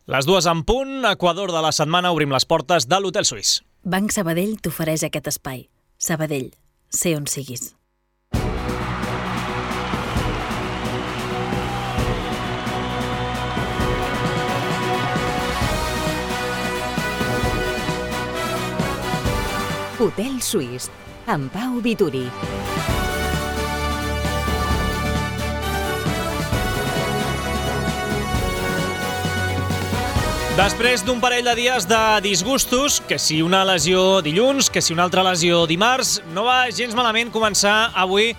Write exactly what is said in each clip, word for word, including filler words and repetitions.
Les dues en punt, Equador de la setmana, obrim les portes de l'Hotel Suís. Banc Sabadell t'ofereix aquest espai. Sabadell, sé on siguis. Hotel Suís, amb Pau Vituri. Després d'un parell de dies de disgustos, que si una lesió dilluns, que si una altra lesió dimarts, no va gens malament començar avui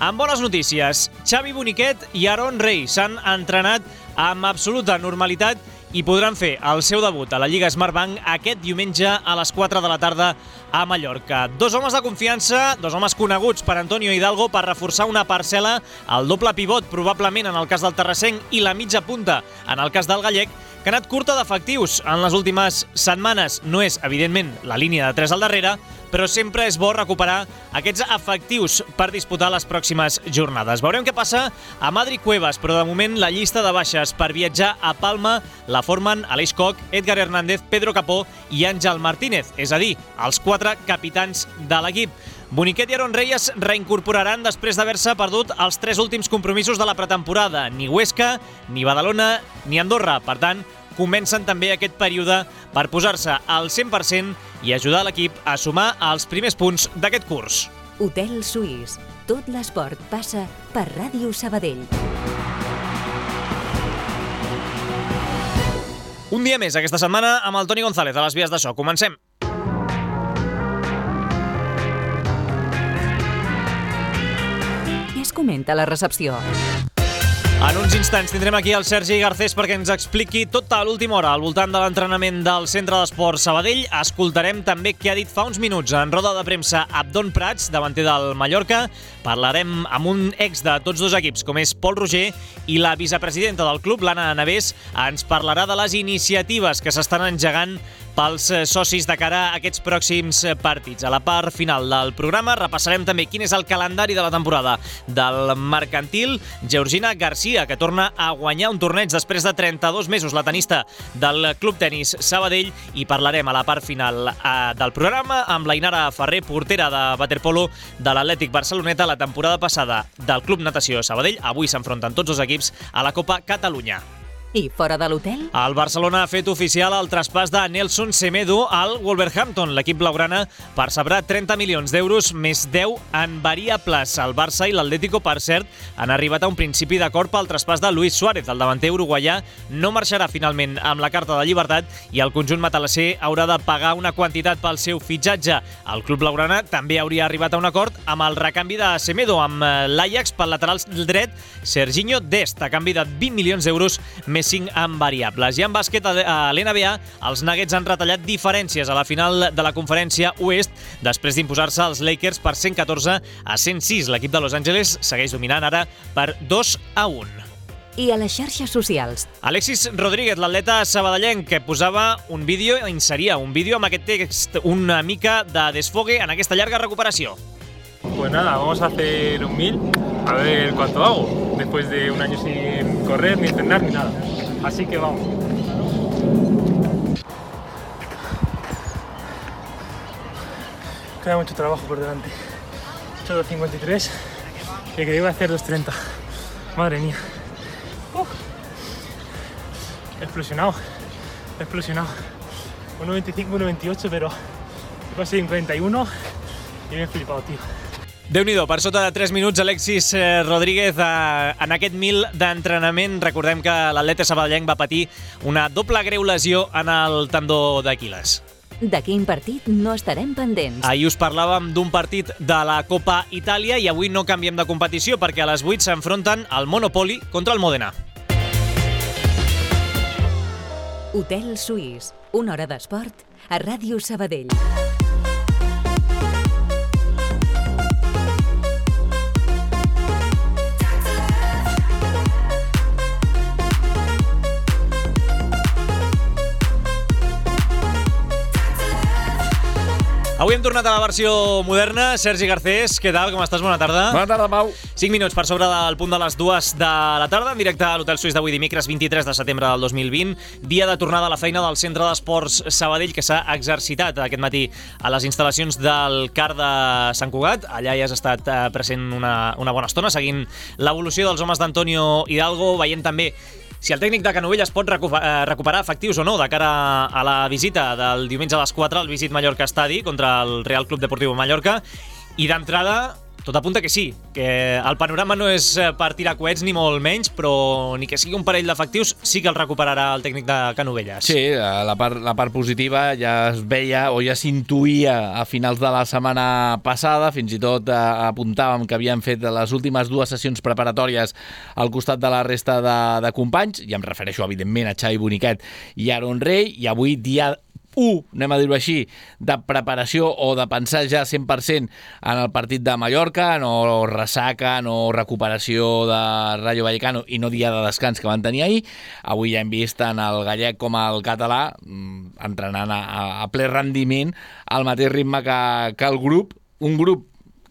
amb bones notícies. Xavi Boniquet i Aaron Rey s'han entrenat amb absoluta normalitat i podran fer el seu debut a la Lliga Smartbank aquest diumenge a les quatre de la tarda a Mallorca. Dos homes de confiança, dos homes coneguts per Antonio Hidalgo per reforçar una parcel·la, el doble pivot probablement en el cas del terrassenc i la mitja punta en el cas del gallec, que ha anat curta d'efectius en les últimes setmanes. No és, evidentment, la línia de tres al darrere, però sempre és bo recuperar aquests efectius per disputar les pròximes jornades. Veurem què passa a Adri Cuevas, però de moment la llista de baixes per viatjar a Palma la formen Aleix Koch, Edgar Hernández, Pedro Capó i Àngel Martínez, és a dir, els quatre capitans de l'equip. Boniquet i Aaron Rey es reincorporaran després d'haver-se perdut els tres últims compromisos de la pretemporada. Ni Huesca, ni Badalona, ni Andorra. Per tant, comencen també aquest període per posar-se al cent per cent i ajudar l'equip a sumar els primers punts d'aquest curs. Hotel Suís. Tot l'esport passa per Ràdio Sabadell. Un dia més aquesta setmana amb el Toni González a les vies de so. Comencem. Què es comenta a la recepció? En uns instants tindrem aquí el Sergi Garcés perquè ens expliqui tota l'última hora al voltant de l'entrenament del Centre d'Esport Sabadell. Escoltarem també què ha dit fa uns minuts en roda de premsa Abdon Prats, davanter del Mallorca. Parlarem amb un ex de tots dos equips, com és Pol Roger, i la vicepresidenta del club, l'Anna Navés, ens parlarà de les iniciatives que s'estan engegant pels socis de cara a aquests pròxims partits. A la part final del programa repassarem també quin és el calendari de la temporada del mercantil. Georgina Garcia, que torna a guanyar un torneig després de trenta-dos mesos, la tenista del Club Tenis Sabadell, i parlarem a la part final eh, del programa amb la Inara Ferrer, portera de waterpolo de l'Atlètic Barceloneta, la temporada passada del Club Natació Sabadell. Avui s'enfronten tots els equips a la Copa Catalunya. I fora de l'hotel? El Barcelona ha fet oficial el traspàs de Nelson Semedo al Wolverhampton. L'equip blaugrana percebrà trenta milions d'euros més deu en variables. El Barça i l'Atlético, per cert, han arribat a un principi d'acord pel traspàs de Luis Suárez. El davanter uruguaià no marxarà finalment amb la carta de llibertat i el conjunt matalasser haurà de pagar una quantitat pel seu fitxatge. El club blaugrana també hauria arribat a un acord amb el recanvi de Semedo amb l'Ajax pel lateral dret Serginho Dest, a canvi de vint milions d'euros més cinc en variables. I en bàsquet a l'N B A, els Nuggets han retallat diferències a la final de la conferència oest després d'imposar-se als Lakers per cent catorze a cent sis. L'equip de Los Angeles segueix dominant ara per dos a un. I a les xarxes socials? Alexis Rodríguez, l'atleta sabadellenc, que posava un vídeo, inseria un vídeo amb aquest text una mica de desfogue en aquesta llarga recuperació. Pues nada, vamos a hacer un mil, a ver cuánto hago, después de un año sin correr, ni entrenar, ni nada. Así que vamos. Queda mucho trabajo por delante. He hecho dos cincuenta y tres, que creí que iba a hacer dos treinta. Madre mía. Uf. He explosionado, he explosionado. uno veinticinco, uno veintiocho, pero he conseguido un cuarenta y uno y me he flipado, tío. Déu-n'hi-do, per sota de tres minuts, Alexis Rodríguez eh, en aquest mil d'entrenament. Recordem que l'atleta sabadellenc va patir una doble greu lesió en el tendó d'Aquil·les. De quin partit no estarem pendents? Ahir us parlàvem d'un partit de la Copa Itàlia i avui no canviem de competició perquè a les vuit s'enfronten el Monopoli contra el Mòdena. Hotel Suís, una hora d'esport a Ràdio Sabadell. Avui hem tornat a la versió moderna. Sergi Garcés, què tal? Com estàs? Bona tarda. Bona tarda, Pau. cinc minuts per sobre del punt de les dues de la tarda, en directe a l'Hotel Suís d'avui dimecres vint-i-tres de setembre del dos mil vint, dia de tornada a la feina del Centre d'Esports Sabadell, que s'ha exercitat aquest matí a les instal·lacions del CAR de Sant Cugat. Allà ja has estat present una, una bona estona, seguint l'evolució dels homes d'Antonio Hidalgo, veient també si el tècnic de Canovelles pot recuperar efectius o no de cara a la visita del diumenge a les quatre al Visit Mallorca Estadi contra el Real Club Deportiu Mallorca. I d'entrada, tot apunta que sí, que el panorama no és per tirar coets ni molt menys, però ni que sigui un parell d'efectius sí que el recuperarà el tècnic de Canovelles. Sí, la part, la part positiva ja es veia o ja s'intuïa a finals de la setmana passada, fins i tot eh, apuntàvem que havien fet les últimes dues sessions preparatòries al costat de la resta de, de companys, i em refereixo evidentment a Xavi Boniquet i Aaron Rey, i avui dia u, anem a dir-ho així, de preparació o de pensar ja cent per cent en el partit de Mallorca, no ressaca, no recuperació de Rayo Vallecano i no dia de descans que van tenir ahir. Avui ja hem vist tant el gallec com el català entrenant a, a ple rendiment al mateix ritme que, que el grup, un grup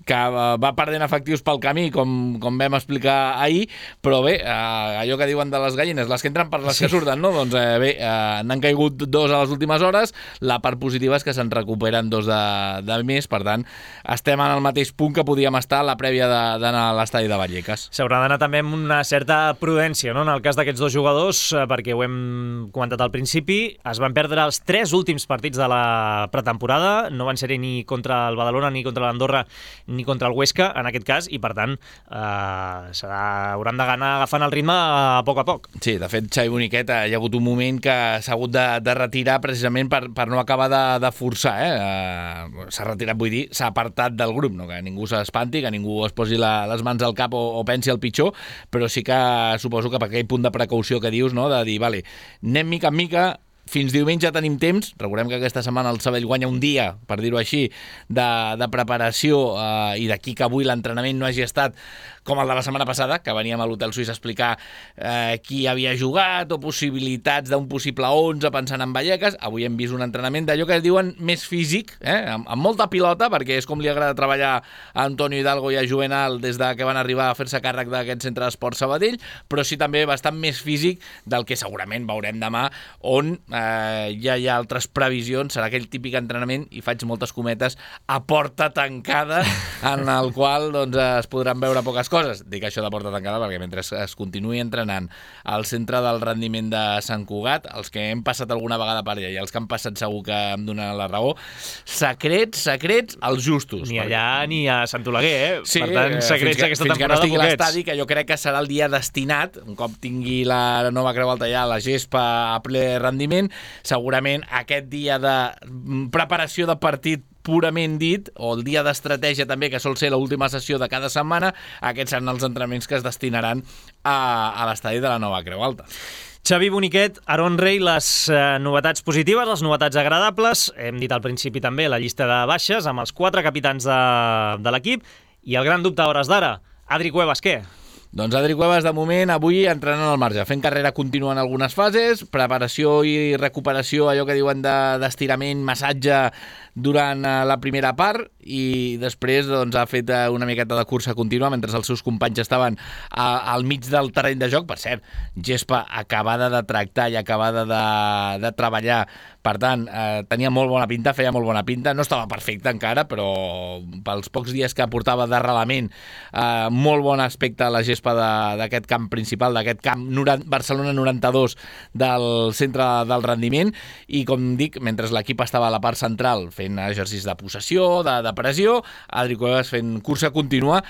que va perdent efectius pel camí, com, com vam explicar ahir, però bé, eh, allò que diuen de les gallines, les que entren per les sí. que surten, no? Doncs eh, bé, eh, n'han caigut dos a les últimes hores, la part positiva és que se'n recuperen dos de, de més, per tant, estem en el mateix punt que podíem estar a la prèvia d'anar a l'estadi de Vallecas. S'haurà d'anar també amb una certa prudència, no?, en el cas d'aquests dos jugadors, perquè ho hem comentat al principi, es van perdre els tres últims partits de la pretemporada, no van ser-hi ni contra el Badalona, ni contra l'Andorra, ni contra el Huesca, en aquest cas, i per tant eh, serà, hauran d'anar agafant el ritme a poc a poc. Sí, de fet, Xavi Boniquet hi ha hagut un moment que s'ha hagut de, de retirar precisament per, per no acabar de, de forçar. Eh? Uh, s'ha retirat, vull dir, s'ha apartat del grup, no? Que ningú s'espanti, que ningú es posi la, les mans al cap o, o pensi el pitjor, però sí que suposo que per aquell punt de precaució que dius, no? De dir, vale, anem mica en mica, fins diumenge tenim temps. Recordem que aquesta setmana el Sabadell guanya un dia, per dir-ho així, de, de preparació, eh, i d'aquí que avui l'entrenament no hagi estat com el de la setmana passada, que veníem a l'Hotel Suís a explicar eh, qui havia jugat o possibilitats d'un possible onze pensant en Vallecas. Avui hem vist un entrenament d'allò que es diuen més físic, eh, amb, amb molta pilota, perquè és com li agrada treballar a Antonio Hidalgo i a Juvenal des de que van arribar a fer-se càrrec d'aquest centre d'esport Sabadell, però sí també bastant més físic del que segurament veurem demà, on eh, ja hi ha altres previsions. Serà aquell típic entrenament, i faig moltes cometes, a porta tancada, en el qual doncs, es podran veure poques coses. Coses. Dic això de porta tancada perquè mentre es continuï entrenant al centre del rendiment de Sant Cugat, els que hem passat alguna vegada per allà i els que han passat segur que em donen la raó, secrets, secrets, els justos. Ni allà perquè... ni a Sant Oleguer, eh? Sí, per tant, secrets d'aquesta temporada, fins que no estigui l'estadi, que jo crec que serà el dia destinat, un cop tingui la nova Creu Alta ja, la gespa a ple rendiment, segurament aquest dia de preparació de partit purament dit, o el dia d'estratègia també, que sol ser l'última sessió de cada setmana, aquests seran els entrenaments que es destinaran a, a l'estadi de la nova Creu Alta. Xavi Boniquet, Aaron Rey, les eh, novetats positives, les novetats agradables, hem dit al principi també la llista de baixes, amb els quatre capitans de, de l'equip, i el gran dubte a hores d'ara, Adri Cuevas, què? Doncs Adri Cuevas, de moment, avui entrenant al marge, fent carrera contínua en algunes fases, preparació i recuperació, allò que diuen d'estirament, de, massatge durant la primera part, i després doncs, ha fet una miqueta de cursa contínua mentre els seus companys estaven a, al mig del terreny de joc. Per cert, gespa acabada de tractar i acabada de, de treballar, per tant, eh, tenia molt bona pinta, feia molt bona pinta, no estava perfecte encara, però pels pocs dies que portava d'arrelament, eh, molt bon aspecte a la gespa d'aquest camp principal, d'aquest camp Barcelona noranta-dos del centre del rendiment, i com dic, mentre l'equip estava a la part central fent exercicis de possessió, de, de pressió, Adri Cuevas fent cursa contínua.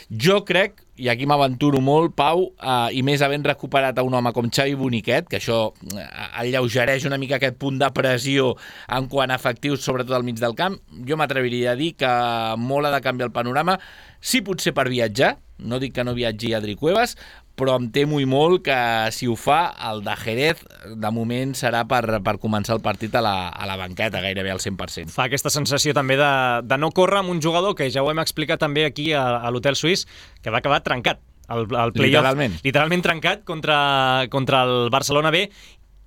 Jo crec, i aquí m'aventuro molt, Pau, eh, i més havent recuperat a un home com Xavi Boniquet, que això eh, alleugereix una mica aquest punt de pressió en quant a efectius, sobretot al mig del camp, jo m'atreviria a dir que molt ha de canviar el panorama, sí potser per viatjar, no dic que no viatgi Adri Cuevas, però em temo i molt que si ho fa, el de Jerez de moment serà per, per començar el partit a la, a la banqueta, gairebé al cent per cent. Fa aquesta sensació també de, de no córrer amb un jugador que ja ho hem explicat també aquí a, a l'Hotel Suís, que va acabar trencat. El, el literalment. Literalment trencat contra, contra el Barcelona B,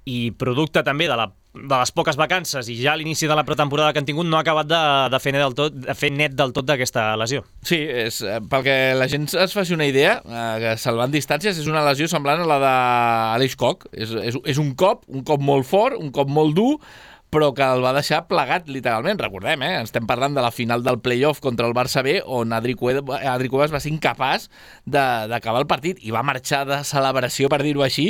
i producte també de la de les poques vacances i ja a l'inici de la pretemporada que han tingut no ha acabat de, de, fer, net del tot, de fer net del tot d'aquesta lesió. Sí, és, perquè la gent es faci una idea, eh, salvant distàncies, és una lesió semblant a la d'Aleix Koch. És, és, és un cop, un cop molt fort, un cop molt dur, però que el va deixar plegat, literalment. Recordem, eh? Estem parlant de la final del play-off contra el Barça B, on Adri Cuevas va ser incapaç d'acabar el partit i va marxar de celebració, per dir-ho així,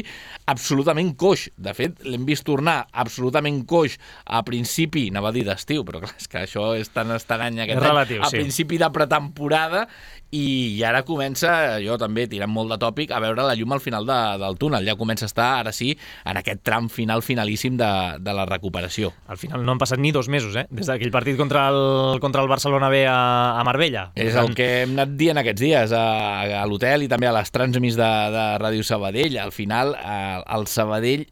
absolutament coix. De fet, l'hem vist tornar absolutament coix a principi, anava a dir d'estiu, però clar, és que això és tan estrany aquest any, relatiu, a sí. principi de pretemporada, i ara comença, jo també tirant molt de tòpic, a veure la llum al final de, del túnel. Ja comença a estar, ara sí, en aquest tram final finalíssim de, de la recuperació. Al final no han passat ni dos mesos, eh? Des d'aquell partit contra el, contra el Barcelona B a, a Marbella. És el que hem anat dient aquests dies a, a l'hotel i també a les transmis de, de Ràdio Sabadell. Al final, a, el Sabadell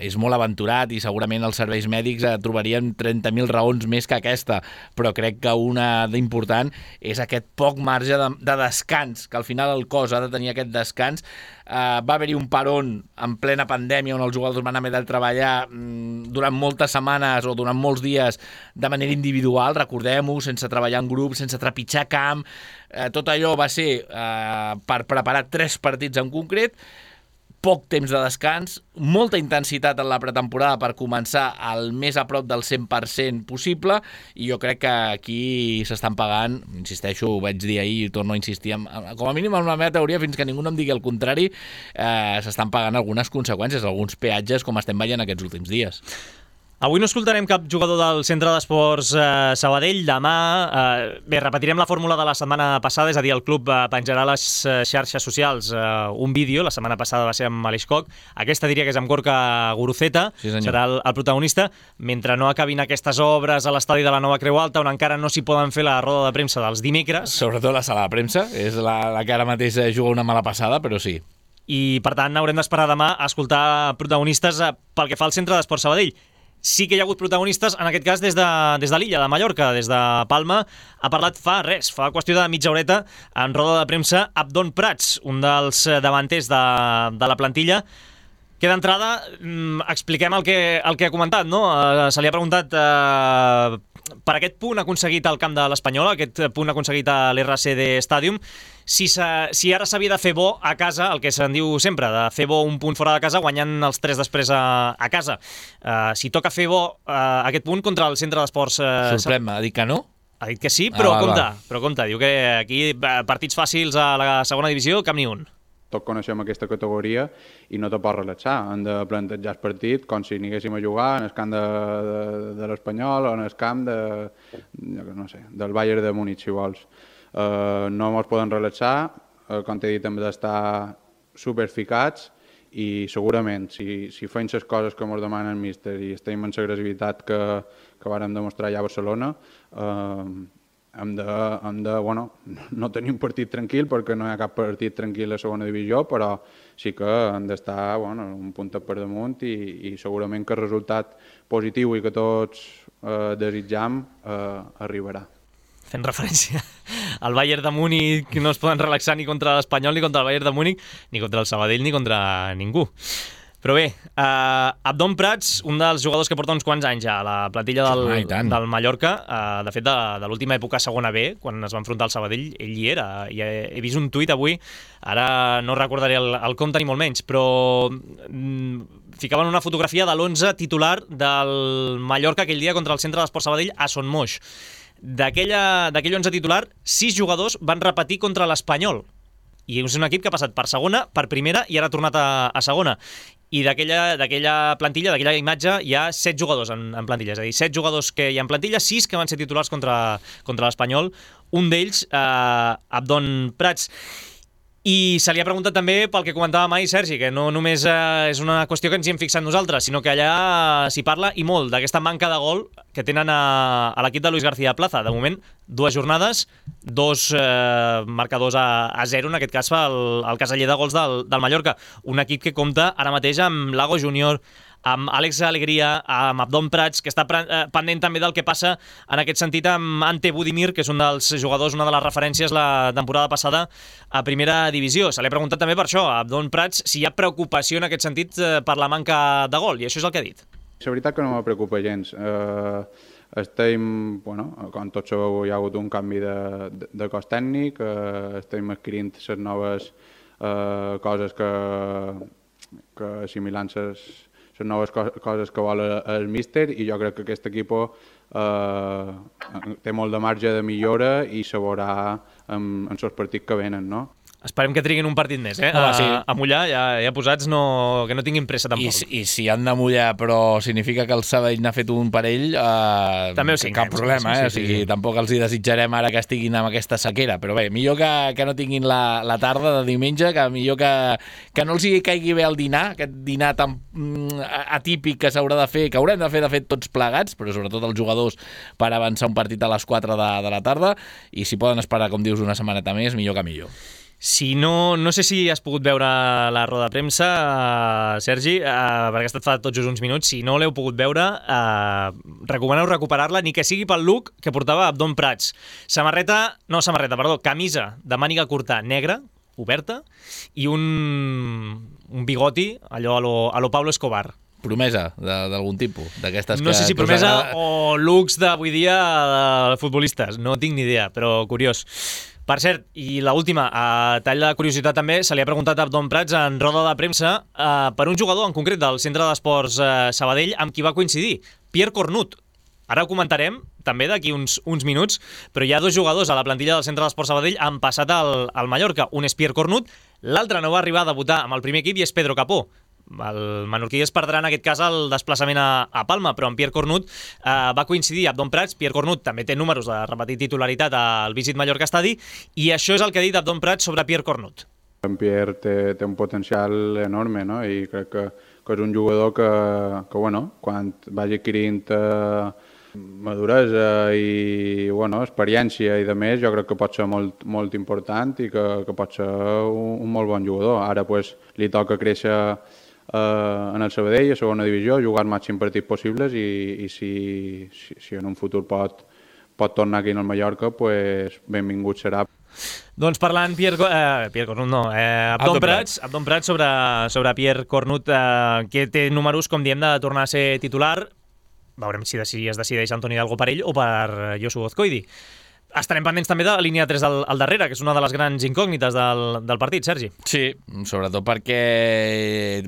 és molt aventurat i segurament els serveis mèdics trobarien trenta mil raons més que aquesta, però crec que una d'important és aquest poc marge de, de descans, que al final el cos ha de tenir aquest descans. Uh, va haver-hi un peron en plena pandèmia on els jugadors van haver de treballar mm, durant moltes setmanes o durant molts dies de manera individual, recordem-ho, sense treballar en grup, sense trepitjar camp. Uh, tot allò va ser uh, per preparar tres partits en concret, poc temps de descans, molta intensitat en la pretemporada per començar al més a prop del cent per cent possible, i jo crec que aquí s'estan pagant, insisteixo, ho vaig dir ahir i torno a insistir, amb, com a mínim en la meva teoria, fins que ningú no em digui el contrari, eh, s'estan pagant algunes conseqüències, alguns peatges, com estem veient aquests últims dies. Avui no escoltarem cap jugador del Centre d'Esports eh, Sabadell. Demà, eh, bé, repetirem la fórmula de la setmana passada, és a dir, el club eh, penjarà a les eh, xarxes socials eh, un vídeo. La setmana passada va ser amb Aleix Koch. Aquesta diria que és amb Gorka Guruceta, sí, serà el, el protagonista. Mentre no acabin aquestes obres a l'estadi de la Nova Creu Alta, on encara no s'hi poden fer la roda de premsa dels dimecres. Sobretot la sala de premsa, és la, la que ara mateix juga una mala passada, però sí. I, per tant, haurem d'esperar demà a escoltar protagonistes eh, pel que fa al Centre d'Esports Sabadell. Sí que hi ha hagut protagonistes, en aquest cas des de, des de l'illa de Mallorca, des de Palma. Ha parlat fa res, fa qüestió de mitja horeta, en roda de premsa, Abdon Prats, un dels davanters de, de la plantilla, que d'entrada expliquem el que, el que ha comentat, no? Eh, se li ha preguntat eh, per aquest punt aconseguit al camp de l'Espanyol, aquest punt aconseguit a l'R C D Stadium, si, si ara s'havia de fer bo a casa, el que se'n diu sempre, de fer bo un punt fora de casa guanyant els tres després a, a casa. Uh, si toca fer bo uh, aquest punt contra el Centre d'Esports... Uh, Sorprèn, ha dit que no? Ha dit que sí, però ah, va, compte, va. però compte, diu que aquí partits fàcils a la segona divisió, cap ni un. Tots coneixem aquesta categoria i no te pots relaxar. Hem de plantejar el partit com si anéssim a jugar en el camp de, de, de l'Espanyol o en el camp de, no sé, del Bayern de Múnich, si vols. Uh, no ens poden relaxar, uh, com t'he dit, hem d'estar superficats i segurament, si, si fem les coses que ens demana el míster i estem en l'agressivitat que, que vàrem demostrar ja a Barcelona, uh, hem de, hem de bueno, no tenir un partit tranquil perquè no hi ha cap partit tranquil a segona divisió, però sí que hem d'estar bueno, un puntet per damunt i, i segurament que el resultat positiu i que tots eh, desitjam eh, arribarà. Fent referència al Bayern de Múnich, que no es poden relaxar ni contra l'Espanyol, ni contra el Bayern de Múnich, ni contra el Sabadell, ni contra ningú. Però bé, uh, Abdon Prats, un dels jugadors que porta uns quants anys ja a la plantilla del, ah, del Mallorca, uh, de fet de, de l'última època segona B, quan es va enfrontar al Sabadell, ell hi era. I he, he vist un tuit avui, ara no recordaré el, el compte ni molt menys, però mm, ficaven una fotografia de l'onze titular del Mallorca aquell dia contra el Centre d'Esports Sabadell a Son Moix. D'aquell onze titular, sis jugadors van repetir contra l'Espanyol. I és un equip que ha passat per segona, per primera i ara ha tornat a, a segona. I d'aquella plantilla, d'aquella imatge, hi ha set jugadors en, en plantilla. És a dir, set jugadors que hi ha en plantilla, sis que van ser titulars contra, contra l'Espanyol. Un d'ells, eh, Abdon Prats. I se li ha preguntat també pel que comentava mai Sergi, que no només eh, és una qüestió que ens hi hem fixat nosaltres, sinó que allà s'hi parla i molt d'aquesta manca de gol que tenen a, a l'equip de Luis García Plaza. De moment, dues jornades, dos eh, marcadors a, a zero, en aquest cas fa el, el caseller de gols del, del Mallorca. Un equip que compta ara mateix amb Lago Júnior, amb Àlex Alegria, amb Abdon Prats, que està pendent també del que passa en aquest sentit amb Ante Budimir, que és un dels jugadors, una de les referències la temporada passada a primera divisió. Se li ha preguntat també per això, a Abdon Prats, si hi ha preocupació en aquest sentit per la manca de gol, i això és el que ha dit. La veritat que no me preocupa gens. Eh, estem, bueno, com tots sabeu, hi ha hagut un canvi de, de, de cos tècnic, eh, estem adquirint les noves eh, coses que, que assimilant les, les noves co coses que vol el míster, i jo crec que aquest equip eh, té molt de marge de millora i se veurà en, en els partits que venen, no? Esperem que triguin un partit més, eh? Home, sí. a, a mullar, ja, ja posats, no, que no tinguin pressa tampoc. I, si- I si han de mullar, però significa que el Sabadell n'ha fet un parell, eh, També ho signem, cap problema, sí, sí, eh? O sigui, sí. tampoc els hi desitjarem ara que estiguin amb aquesta sequera, però bé, millor que, que no tinguin la, la tarda de diumenge, que millor que, que no els hi caigui bé el dinar, aquest dinar tan mm, atípic que s'haurà de fer, que haurem de fer, de fet, tots plegats, però sobretot els jugadors per avançar un partit a les quatre de, de la tarda, i si poden esperar, com dius, una setmaneta més, millor que millor. Si no, no sé si has pogut veure la roda de premsa, uh, Sergi, uh, perquè ha estat fa tots just uns minuts. Si no l'heu pogut veure, uh, recomaneu recuperar-la, ni que sigui pel look que portava Abdon Prats. Samarreta, no samarreta, perdó, camisa de màniga curta negra, oberta, i un, un bigoti, allò a lo, a lo Pablo Escobar. Promesa d'algun tipus, d'aquestes que... No sé si que us promesa agrada. o looks d'avui dia de futbolistes, no tinc ni idea, però curiós. Per cert, i l'última, a tall de curiositat també, se li ha preguntat a Abdon Prats en roda de premsa eh, per un jugador en concret del Centre d'Esports eh, Sabadell amb qui va coincidir, Pierre Cornut. Ara ho comentarem, també d'aquí uns, uns minuts, però hi ha dos jugadors a la plantilla del Centre d'Esports Sabadell han passat al, al Mallorca. Un és Pierre Cornut, l'altre no va arribar a debutar amb el primer equip i és Pedro Capó. El menorquí es perdrà en aquest cas el desplaçament a, a Palma, però amb Pierre Cornut eh, va coincidir Abdon Prats. Pierre Cornut també té números de repetir titularitat al Visit Mallorca Estadi, i això és el que ha dit Abdon Prats sobre Pierre Cornut. En Pierre té, té un potencial enorme, no? I crec que, que és un jugador que, que bueno, quan vagi adquirint eh, maduresa i bueno, experiència i de més, jo crec que pot ser molt, molt important i que, que pot ser un, un molt bon jugador. Ara pues, li toca créixer eh, en el Sabadell, a segona divisió, jugar els màxims partits possibles i, i si, si, si en un futur pot, pot tornar aquí al Mallorca, pues, benvingut serà. Doncs parlant Pierre, eh, Pierre Cornut, no, eh, Abdon Prats, Abdon Prats sobre, sobre Pierre Cornut, eh, que té números, com diem, de tornar a ser titular. Veurem si, si es decideix Antoni Hidalgo per ell o per Josu Ozcoidi. Estarem pendents també de la línia tres al, al darrere, que és una de les grans incògnites del, del partit, Sergi. Sí, sobretot perquè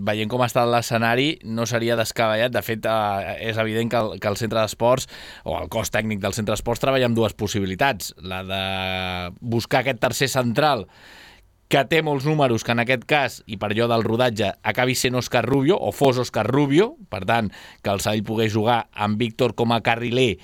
veient com està l'escenari no seria descabellat. De fet, eh, és evident que el, que el centre d'esports o el cos tècnic del centre d'esports treballa amb dues possibilitats. La de buscar aquest tercer central que té molts números, que en aquest cas, i per allò del rodatge, acabi sent Òscar Rubio, o fos Òscar Rubio, per tant, que el Sabadell pogués jugar amb Víctor com a carriler,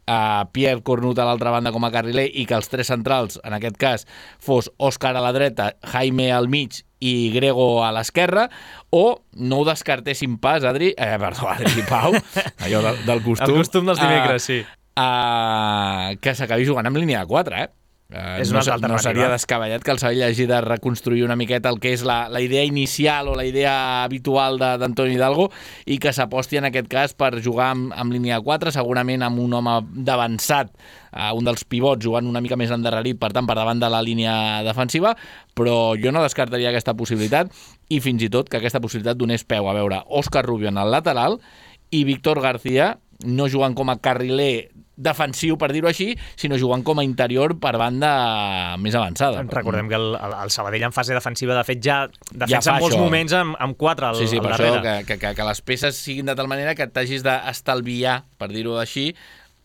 a Pierre Cornut a l'altra banda com a carriler, i que els tres centrals, en aquest cas, fos Òscar a la dreta, Jaime al mig i Grego a l'esquerra, o no ho descartéssim pas, Adri, eh, perdó, Adri Pau, allò del, del costum. El costum dels dimecres, sí. Uh, que s'acabi jugant amb línia de quatre, eh? Uh, És no, una altra alternativa. no seria descabellat que el Sabadell hagi de reconstruir una miqueta el que és la, la idea inicial o la idea habitual d'Antoni Hidalgo, i que s'aposti en aquest cas per jugar amb, amb línia de quatre, segurament amb un home d'avançat, uh, un dels pivots jugant una mica més endarrerit, per tant per davant de la línia defensiva, però jo no descartaria aquesta possibilitat, i fins i tot que aquesta possibilitat donés peu a veure Òscar Rubio en el lateral i Víctor García no jugant com a carriler defensiu, per dir-ho així, sinó jugant com a interior per banda més avançada. Recordem que el, el, el Sabadell en fase defensiva, de fet, ja defensa ja en molts això. moments amb, amb quatre al, sí, sí, al per darrere. això que, que, que, que les peces siguin de tal manera que t'hagis d'estalviar, per dir-ho així,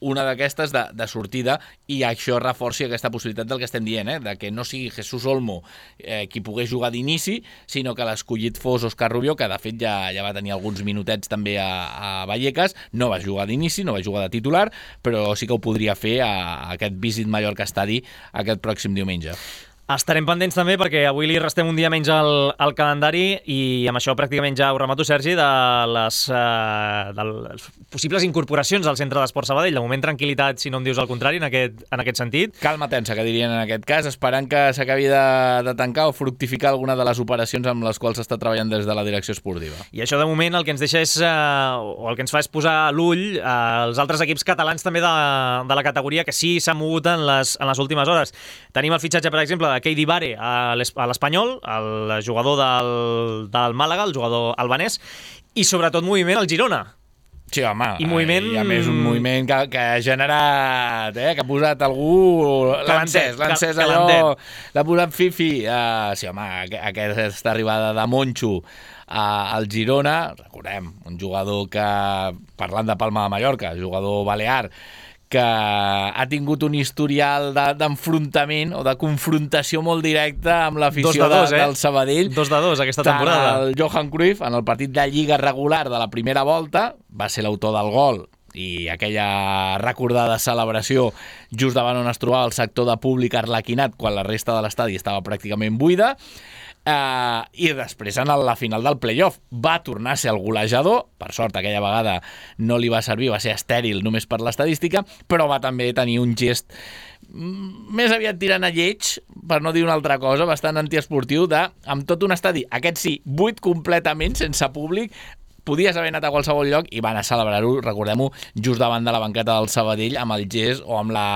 una d'aquestes de, de sortida, i això reforci aquesta possibilitat del que estem dient, eh? De que no sigui Jesús Olmo eh, qui pogués jugar d'inici, sinó que l'escollit fos Òscar Rubio, que de fet ja, ja va tenir alguns minutets també a, a Vallecas, no va jugar d'inici, no va jugar de titular, però sí que ho podria fer a, a aquest Visit Mallorca Estadi aquest pròxim diumenge. Estarem pendents també perquè avui li restem un dia menys al, al calendari, i amb això pràcticament ja ho remato, Sergi, de les, uh, de les possibles incorporacions al Centre d'Esports Sabadell. De moment, tranquil·litat, si no em dius el contrari, en aquest, en aquest sentit. Calma tensa, que dirien en aquest cas, esperant que s'acabi de, de tancar o fructificar alguna de les operacions amb les quals s'està treballant des de la direcció esportiva. I això, de moment, el que ens deixa és, uh, o el que ens fa és posar l'ull als uh, altres equips catalans també de, de la categoria, que sí s'han mogut en les, en les últimes hores. Tenim el fitxatge, per exemple, de Keidi Bare a l'Espanyol, el jugador del, del Màlaga, el jugador albanès, i sobretot moviment al Girona. Sí, home, I moviment... i a més un moviment que, que ha generat, eh, que ha posat algú... L'ha encès, l'ha encès allò, l'ha posat fifi. Uh, sí, home, aquesta arribada de Moncho uh, al Girona, recordem, un jugador que, parlant de Palma de Mallorca, jugador balear, que ha tingut un historial d'enfrontament o de confrontació molt directa amb l'afició de dos, de, eh? del Sabadell. Dos de dos aquesta temporada. El Johan Cruyff, en el partit de Lliga regular de la primera volta, va ser l'autor del gol i aquella recordada celebració just davant on es trobava el sector de públic arlequinat quan la resta de l'estadi estava pràcticament buida. Uh, i després en la final del playoff va tornar a ser el golejador, per sort aquella vegada no li va servir, va ser estèril només per l'estadística, però va també tenir un gest més aviat tirant a lleig, per no dir una altra cosa, bastant antiesportiu, de, amb tot un estadi, aquest sí, buit completament, sense públic, podies haver anat a qualsevol lloc i van a celebrar-ho, recordem-ho, just davant de la banqueta del Sabadell, amb el gest o amb la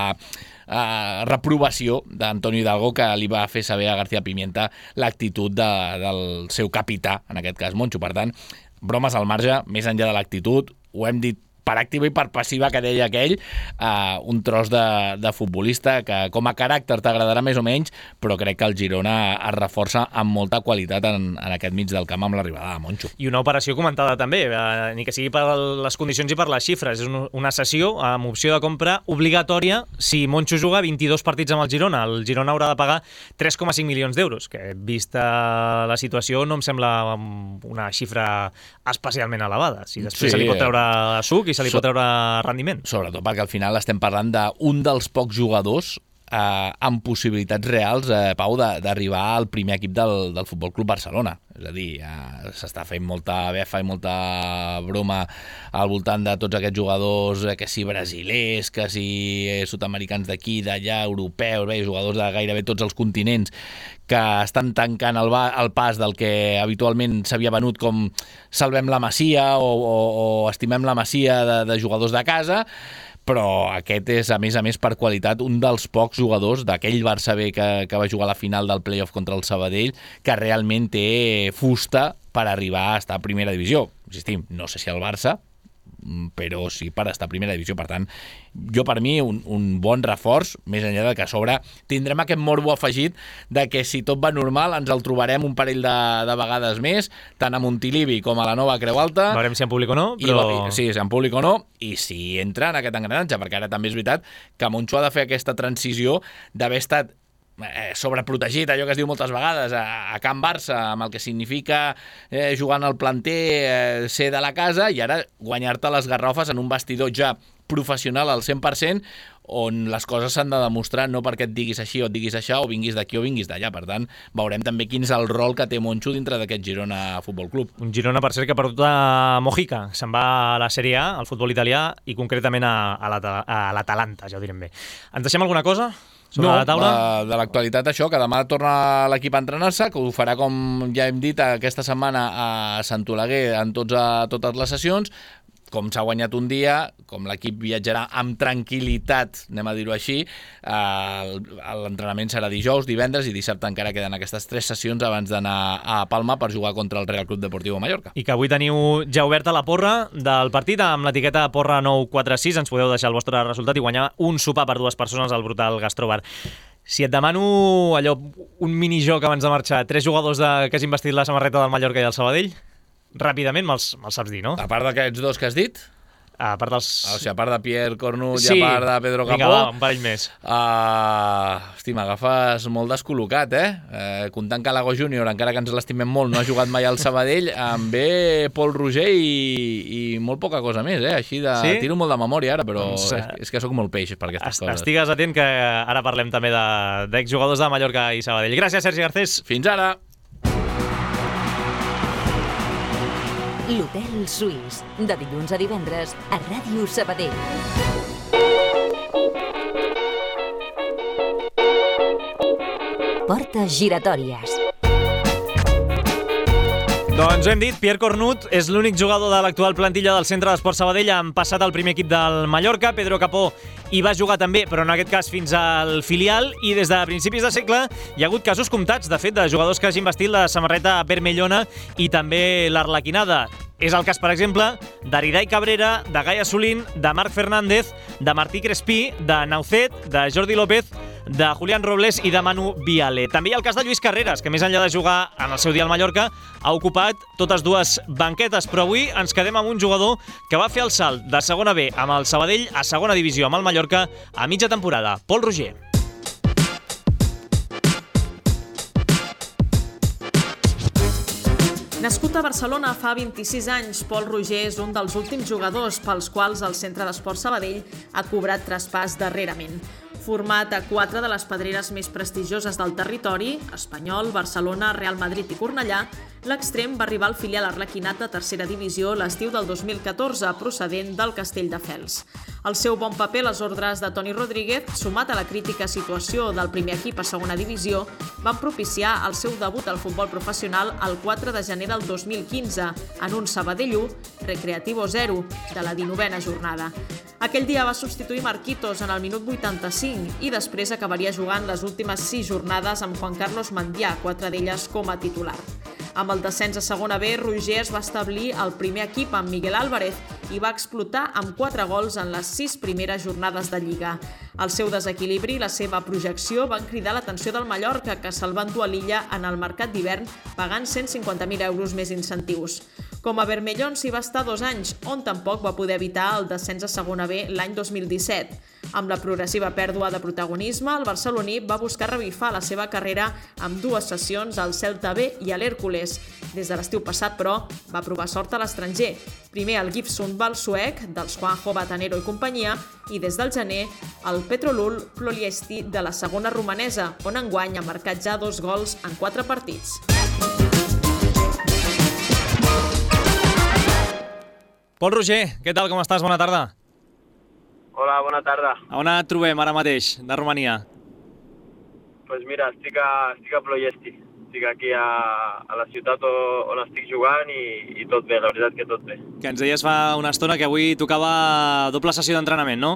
Uh, reprovació d'Antonio Hidalgo, que li va fer saber a García Pimienta l'actitud de, del seu capità, en aquest cas Moncho. Per tant, bromes al marge, més enllà de l'actitud, ho hem dit per activa i per passiva, que deia aquell, uh, un tros de, de futbolista que com a caràcter t'agradarà més o menys, però crec que el Girona es reforça amb molta qualitat en, en aquest mig del camp amb l'arribada de Moncho. I una operació comentada també, eh, ni que sigui per les condicions i per les xifres. És una cessió amb opció de compra obligatòria si Moncho juga vint-i-dos partits amb el Girona. El Girona haurà de pagar tres coma cinc milions d'euros, que vista la situació no em sembla una xifra especialment elevada. Si després sí, se li pot treure suc i se li pot treure rendiment. Sobretot perquè al final estem parlant d'un dels pocs jugadors eh, amb possibilitats reals, eh, Pau, d'arribar al primer equip del, del Futbol Club Barcelona. És a dir, eh, s'està fent molta befa i molta broma al voltant de tots aquests jugadors, eh, que si brasilers, que si eh, sud-americans d'aquí, d'allà, europeus, bé, jugadors de gairebé tots els continents, que estan tancant el, ba el pas del que habitualment s'havia venut com salvem la Masia o, o, o estimem la Masia de, de jugadors de casa, però aquest és, a més a més, per qualitat, un dels pocs jugadors d'aquell Barça B que, que va jugar a la final del playoff contra el Sabadell, que realment té fusta per arribar a estar a primera divisió. Insistim, no sé si el Barça, però sí per estar a primera divisió. Per tant, jo per mi un, un bon reforç, més enllà de que a sobre tindrem aquest morbo afegit de que si tot va normal ens el trobarem un parell de, de vegades més, tant a Montilivi com a la nova Creu Alta. Veurem si en públic o no, però... I, sí, si en públic o no, i si entra en aquest engranatge, perquè ara també és veritat que Moncho ha de fer aquesta transició d'haver estat Eh, sobreprotegit, allò que es diu moltes vegades a, a Can Barça, amb el que significa eh, jugant al planter, eh, ser de la casa, i ara guanyar-te les garrofes en un vestidor ja professional al cent per cent, on les coses s'han de demostrar, no perquè et diguis així o et diguis això, o vinguis d'aquí o vinguis d'allà. Per tant, veurem també quin és el rol que té Moncho dintre d'aquest Girona Futbol Club. Un Girona, per cert, que ha perdut a Mojica. Se'n va a la Sèrie A, al futbol italià, i concretament a, a l'Atalanta, ja ho direm bé. Ens deixem alguna cosa sobre no, la taula? de, de l'actualitat això, que demà torna l'equip a entrenar-se, que ho farà, com ja hem dit, aquesta setmana a Sant Oleguer en tots, a, totes les sessions. Com s'ha guanyat un dia, com l'equip viatjarà amb tranquil·litat, anem a dir-ho així, eh, l'entrenament serà dijous, divendres i dissabte encara queden aquestes tres sessions abans d'anar a Palma per jugar contra el Real Club Deportiu Mallorca. I que avui teniu ja oberta la porra del partit amb l'etiqueta porra nou quatre sis, ens podeu deixar el vostre resultat i guanyar un sopar per dues persones al Brutal Gastrobar. Si et demano allò, un minijoc abans de marxar, tres jugadors de, que hagin vestit la samarreta del Mallorca i del Sabadell, ràpidament me'ls me saps dir, no? A part d'aquests dos que has dit? A part dels... O sigui, a part de Pierre Cornut sí. i a part de Pedro Capó... Vinga, va, un parell més. Uh, hosti, m'agafes molt descol·locat, eh? Uh, comptant que l'Ago Júnior, encara que ens l'estimem molt, no ha jugat mai al Sabadell, em ve Pol Roger i, i molt poca cosa més, eh? Així de... Sí? Tiro molt de memòria ara, però doncs, és, és que sóc molt peix per aquestes coses. Estigues atent que ara parlem també d'exjugadors de, de Mallorca i Sabadell. Gràcies, Sergi Garcés. Fins ara. L'Hotel Suís, de dilluns a divendres a Ràdio Sabadell. Portes giratòries. Doncs ho hem dit, Pierre Cornut és l'únic jugador de l'actual plantilla del Centre d'Esports Sabadell. Han passat al primer equip del Mallorca. Pedro Capó hi va jugar també, però en aquest cas fins al filial, i des de principis de segle hi ha hagut casos comptats, de fet, de jugadors que hagin vestit la samarreta vermellona i també l'arlequinada. És el cas, per exemple, d'Ariday Cabrera, de Gai Assolín, de Marc Fernández, de Martí Crespí, de Naucet, de Jordi López, de Julián Robles i de Manu Viale. També hi ha el cas de Lluís Carreras, que més enllà de jugar en el seu dia al Mallorca, ha ocupat totes dues banquetes, però avui ens quedem amb un jugador que va fer el salt de segona B amb el Sabadell a segona divisió amb el Mallorca a mitja temporada. Pol Roger. Nascut a Barcelona fa vint-i-sis anys, Pol Roger és un dels últims jugadors pels quals el Centre d'Esports Sabadell ha cobrat traspàs darrerament. Format a quatre de les pedreres més prestigioses del territori, Espanyol, Barcelona, Real Madrid i Cornellà, l'extrem va arribar al filial arlequinat de tercera divisió l'estiu del dos mil catorze, procedent del Castelldefels. El seu bon paper a les ordres de Toni Rodríguez, sumat a la crítica situació del primer equip a segona divisió, van propiciar el seu debut al futbol professional el quatre de gener del dos mil quinze, en un Sabadell u, Recreativo zero, de la dinovena jornada. Aquell dia va substituir Marquitos en el minut vuitanta-cinc i després acabaria jugant les últimes sis jornades amb Juan Carlos Mandià, quatre d'elles com a titular. Amb el descens a segona B, Roger es va establir al primer equip amb Miguel Álvarez i va explotar amb quatre gols en les sis primeres jornades de Lliga. El seu desequilibri i la seva projecció van cridar l'atenció del Mallorca, que se'l va endur a l'illa en el mercat d'hivern pagant cent cinquanta mil euros més incentius. Com a Vermellón s'hi va estar dos anys, on tampoc va poder evitar el descens a segona B l'any dos mil disset. Amb la progressiva pèrdua de protagonisme, el barceloní va buscar revifar la seva carrera amb dues sessions al Celta B i a l'Hèrcules. Des de l'estiu passat, però, va provar sort a l'estranger. Primer al GIF Sundvall suec, dels Juanjo Batanero i companyia, i des del gener el Petrolul Ploiesti de la segona romanesa, on enguany ha marcat ja dos gols en quatre partits. Pol Roger, què tal, com estàs? Bona tarda. Hola, bona tarda. A on et trobem ara mateix, de Romania? Doncs pues mira, estic a, estic a Ploiesti. Estic aquí a, a la ciutat on estic jugant i, i tot bé, la veritat que tot bé. Que ens deies fa una estona que avui tocava doble sessió d'entrenament, no?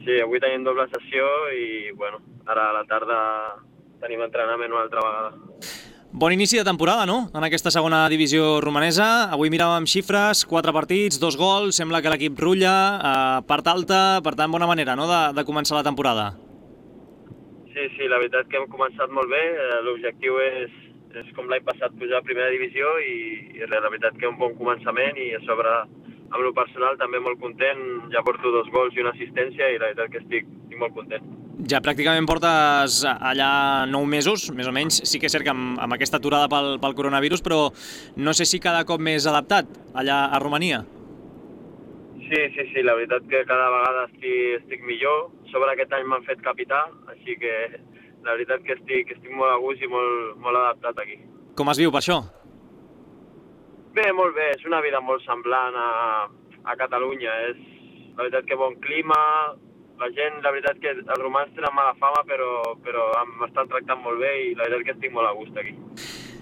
Sí, avui tenim doble sessió i, bueno, ara a la tarda tenim entrenament una altra vegada. Bon inici de temporada, no?, en aquesta segona divisió romanesa. Avui miràvem xifres, quatre partits, dos gols, sembla que l'equip rutlla, eh, part alta, per tant, bona manera, no?, de, de començar la temporada. Sí, sí, la veritat que hem començat molt bé. L'objectiu és, és com l'any passat, pujar a primera divisió i, i la veritat que un bon començament i a sobre, amb lo personal, també molt content. Ja porto dos gols i una assistència i la veritat que estic, estic molt content. Ja pràcticament portes allà nou mesos, més o menys. Sí que és cert que amb, amb aquesta aturada pel, pel coronavirus, però no sé si cada cop més adaptat allà a Romania. Sí, sí, sí, la veritat que cada vegada estic, estic millor. Sobre aquest any m'han fet capità, així que la veritat que estic, estic molt a gust i molt, molt adaptat aquí. Com es viu per això? Bé, molt bé, és una vida molt semblant a, a Catalunya. És la veritat que bon clima, la gent, la veritat que els romans tenen mala fama, però, però m'estan tractant molt bé i la veritat que estic molt a gust aquí.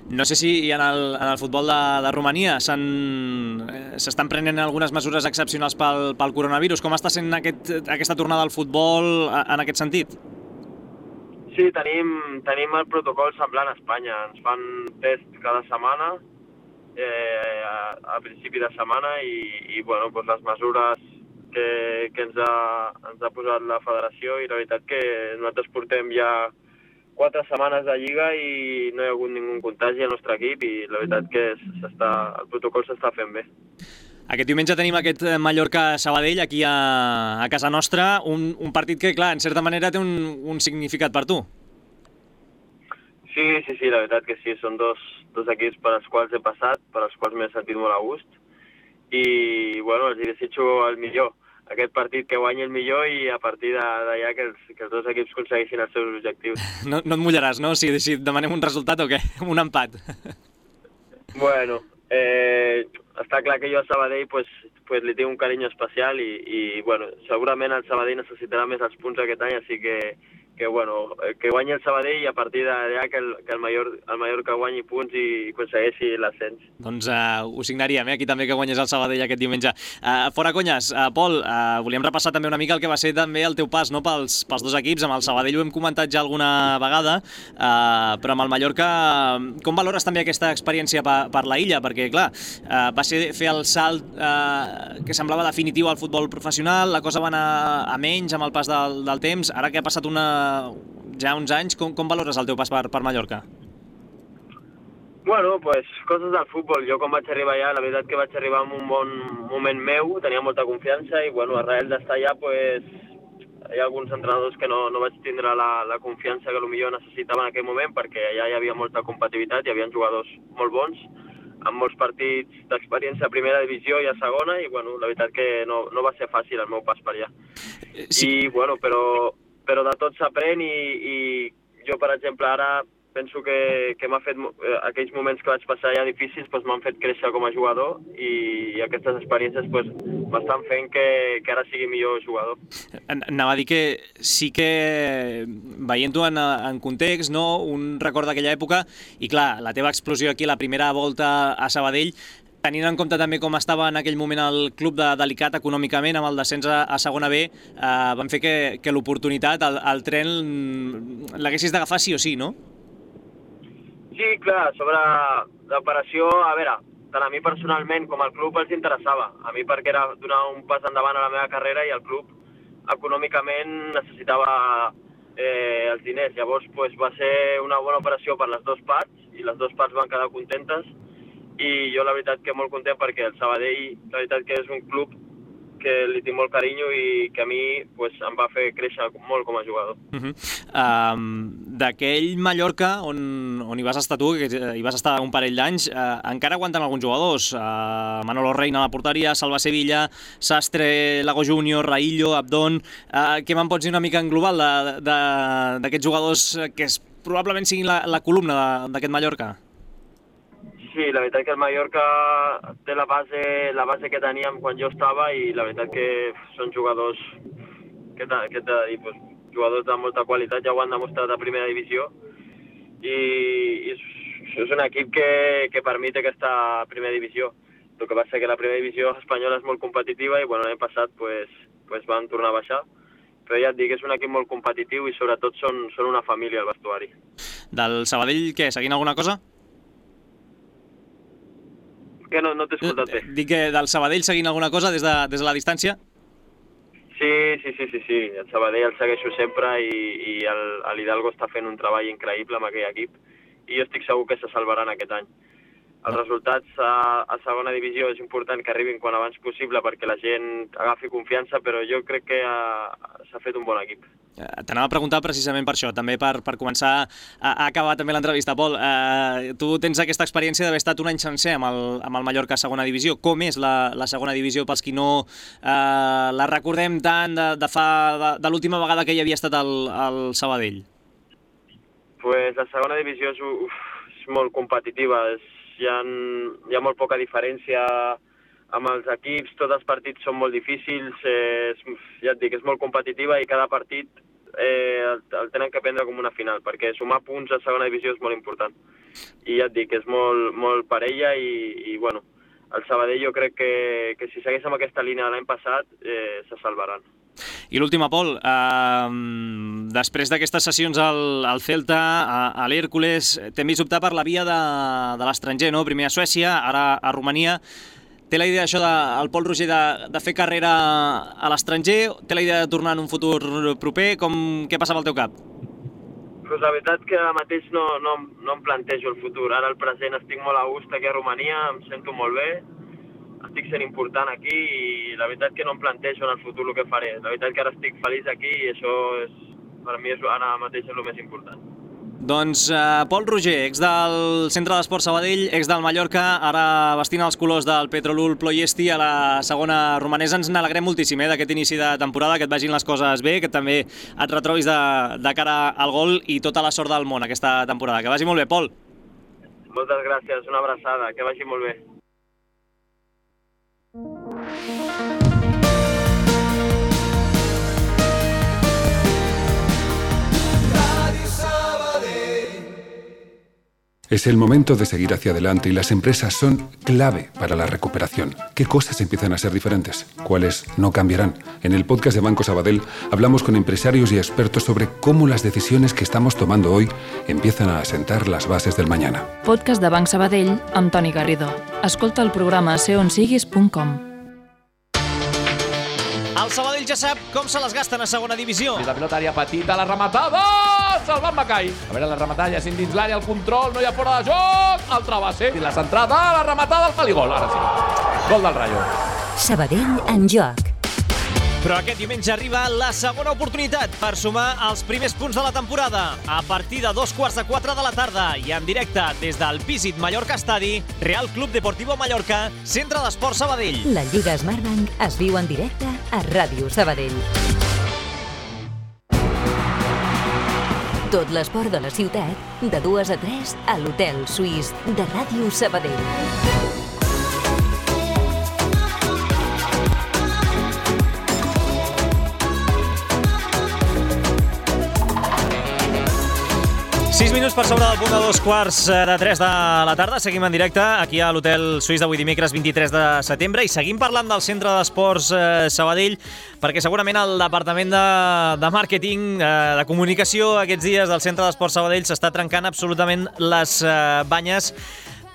No sé si en el, en el futbol de, de Romania s'estan prenent algunes mesures excepcionals pel, pel coronavirus. Com està sent aquest, aquesta tornada al futbol en aquest sentit? Sí, tenim, tenim el protocol semblant a Espanya. Ens fan test cada setmana, eh, a, a principi de setmana, i, i bueno, doncs les mesures que, que ens, ha, ens ha posat la federació, i la veritat que nosaltres portem ja quatre setmanes de Lliga i no hi ha hagut ningú contagi al nostre equip i la veritat que el protocol s'està fent bé. Aquest diumenge tenim aquest Mallorca-Sabadell aquí a, a casa nostra, un, un partit que, clar, en certa manera té un, un significat per tu. Sí, sí, sí, la veritat que sí, són dos, dos equips per als quals he passat, per als quals m'he sentit molt a gust i, bueno, els desitjo el millor. Aquest partit que guanyi el millor i a partir d'allà que, que els dos equips aconsegueixin els seus objectius. No, no et mullaràs, no? Si, si demanem un resultat o què? Un empat. Bueno, eh, està clar que jo a Sabadell pues, pues, li tinc un carinyo especial i, i bueno, segurament el Sabadell necessitarà més els punts aquest any, així que, que, bueno, que guanyi el Sabadell i a partir d'allà que el, que el, Mallorca, el Mallorca guanyi punts i aconsegueixi l'ascens. Doncs uh, ho signaríem, eh? Aquí també que guanyés el Sabadell aquest diumenge. Uh, fora conyes, uh, Pol, uh, volíem repassar també una mica el que va ser també el teu pas, no?, pels, pels dos equips. Amb el Sabadell ho hem comentat ja alguna vegada, uh, però amb el Mallorca, com valores també aquesta experiència per, per la illa? Perquè, clar, uh, va ser fer el salt uh, que semblava definitiu al futbol professional, la cosa va anar a menys amb el pas del, del temps. Ara que ha passat una, ja uns anys, com, com valores el teu pas per, per Mallorca? Bueno, pues, coses del futbol. Jo quan vaig arribar allà, la veritat que vaig arribar en un bon moment meu, tenia molta confiança i, bueno, arrel d'estar allà, pues, hi ha alguns entrenadors que no, no vaig tindre la, la confiança que potser necessitava en aquell moment, perquè allà hi havia molta competitivitat, hi havia jugadors molt bons, amb molts partits d'experiència a primera divisió i a segona, i, bueno, la veritat que no, no va ser fàcil el meu pas per allà. Sí. I, bueno, però, però de tot s'aprèn i, i jo, per exemple, ara penso que, que m'ha fet, aquells moments que vaig passar allà difícils doncs m'han fet créixer com a jugador i, i aquestes experiències doncs, m'estan fent que, que ara sigui millor jugador. Anava a dir que sí que, veient-ho en, en context, no? Un record d'aquella època, i clar, la teva explosió aquí, la primera volta a Sabadell, tenint en compte també com estava en aquell moment el club de, delicat econòmicament amb el descens a, a segona B, eh, van fer que, que l'oportunitat, el, el tren, l'haguessis d'agafar sí o sí, no? Sí, clar, sobre l'operació, a veure, tant a mi personalment com al club els interessava. A mi perquè era donar un pas endavant a la meva carrera i el club econòmicament necessitava eh, els diners. Llavors pues, va ser una bona operació per les dues parts i les dues parts van quedar contentes i jo la veritat que molt content perquè el Sabadell la veritat que és un club que li tinc molt carinyo i que a mi pues, em va fer créixer molt com a jugador. Uh-huh. um, D'aquell Mallorca on, on hi vas estar tu, que hi vas estar un parell d'anys, uh, encara aguanten alguns jugadors. Uh, Manolo Reina a la porteria, Salva Sevilla, Sastre, Lago Júnior, Raillo, Abdón... Uh, què me'n pots dir una mica en global d'aquests jugadors que es, probablement siguin la, la columna d'aquest Mallorca? Sí, la veritat que el Mallorca té la base, la base que teníem quan jo estava i la veritat que són jugadors que t'he de dir, pues, jugadors de molta qualitat, ja ho han demostrat a primera divisió i, i és, és un equip que, que permet aquesta primera divisió. El que passa que la primera divisió espanyola és molt competitiva i bueno, l'any passat pues, pues van tornar a baixar, però ja et dic, és un equip molt competitiu i sobretot són, són una família al vestuari. Del Sabadell, què, seguint alguna cosa? Que no, no t'he escoltat bé. Dic que del Sabadell seguint alguna cosa des de, des de la distància? Sí, sí, sí, sí, sí. El Sabadell el segueixo sempre i, i l'Hidalgo està fent un treball increïble amb aquell equip i jo estic segur que se salvaran aquest any. Els resultats a, a segona divisió és important que arribin quan abans possible perquè la gent agafi confiança, però jo crec que s'ha fet un bon equip. T'anava a preguntar precisament per això, també per, per començar a, a acabar també l'entrevista. Pol, eh, tu tens aquesta experiència d'haver estat un any sencer amb el, amb el Mallorca a segona divisió. Com és la, la segona divisió pels qui no eh, la recordem tant de, de, fa, de, de l'última vegada que hi havia estat el, el Sabadell? Pues la segona divisió és, uf, és molt competitiva, és, hi, ha, hi ha molt poca diferència amb els equips, tots els partits són molt difícils, eh, és, ja et dic, és molt competitiva i cada partit eh, el, el tenen que prendre com una final, perquè sumar punts a segona divisió és molt important. I ja et dic, és molt, molt parella i, i bueno, el Sabadell jo crec que, que si segueix amb aquesta línia de l'any passat eh, se salvaran. I l'última, Pol, eh, després d'aquestes sessions al, al Celta, a, a l'Hèrcules, t'hem vist optar per la via de, de l'estranger, no? Primer a Suècia, ara a Romania. Té la idea això de, el Pol Roger de, de fer carrera a l'estranger? Té la idea de tornar en un futur proper? Com, què passava al teu cap? Pues la veritat que ara mateix no, no, no em plantejo el futur. Ara al present estic molt a gust aquí a Romania, em sento molt bé, estic sent important aquí i la veritat que no em plantejo en el futur el que faré. La veritat que ara estic feliç aquí i això és, per mi és, ara mateix és el més important. Doncs uh, Pol Roger, ex del Centre d'Esport Sabadell, ex del Mallorca, ara vestint els colors del Petrolul Ploiesti a la segona romanesa. Ens n'alegrem moltíssim eh, d'aquest inici de temporada, que et vagin les coses bé, que també et retrobis de, de cara al gol i tota la sort del món aquesta temporada. Que vagi molt bé, Pol. Moltes gràcies, una abraçada, que vagi molt bé. Es el momento de seguir hacia adelante y las empresas son clave para la recuperación. ¿Qué cosas empiezan a ser diferentes? ¿Cuáles no cambiarán? En el podcast de Banco Sabadell hablamos con empresarios y expertos sobre cómo las decisiones que estamos tomando hoy empiezan a asentar las bases del mañana. Podcast de Banc Sabadell amb Toni Garrido. Escolta el programa a ser on siguis punt com. El Sabadell ja sap com se les gasten a segona divisió. La pilota àrea petita, la rematada! Salvat Macai. A veure, la rematada ja sent dins l'àrea, el control, no hi ha fora de joc. Altra base. I la centrada, la rematada, el paligol. Ara sí. Gol del Rayo. Sabadell en joc. Però aquest diumenge arriba la segona oportunitat per sumar els primers punts de la temporada. A partir de dos quarts de quatre de la tarda i en directe des del Visit Mallorca Estadi, Real Club Deportivo Mallorca, Centre d'Esport Sabadell. La Lliga Smartbank es viu en directe a Ràdio Sabadell. Tot l'esport de la ciutat, de dues a tres, a l'Hotel Suís de Ràdio Sabadell. sis minuts per sobre del punt de dos quarts de tres de la tarda. Seguim en directe aquí a l'Hotel Suís d'avui dimecres vint-i-tres de setembre i seguim parlant del Centre d'Esports eh, Sabadell perquè segurament el Departament de, de Màrqueting, eh, de Comunicació aquests dies del Centre d'Esports Sabadell s'està trencant absolutament les eh, banyes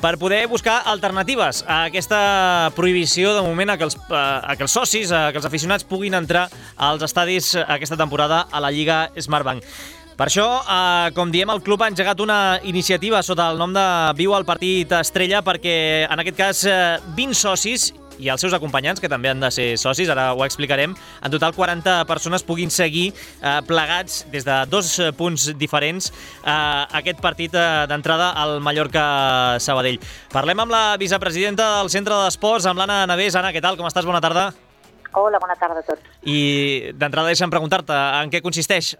per poder buscar alternatives a aquesta prohibició de moment a que els, a que els socis, a que els aficionats puguin entrar als estadis aquesta temporada a la Lliga Smartbank. Per això, eh, com diem, el club ha engegat una iniciativa sota el nom de Viu al Partit Estrella perquè, en aquest cas, eh, vint socis i els seus acompanyants, que també han de ser socis, ara ho explicarem, en total quaranta persones puguin seguir eh, plegats des de dos punts diferents eh, aquest partit eh, d'entrada al Mallorca-Sabadell. Parlem amb la vicepresidenta del Centre d'Esports, amb l'Anna Navés. Anna, què tal? Com estàs? Bona tarda. Hola, bona tarda a tots. I d'entrada deixa'm preguntar-te en què consisteix eh,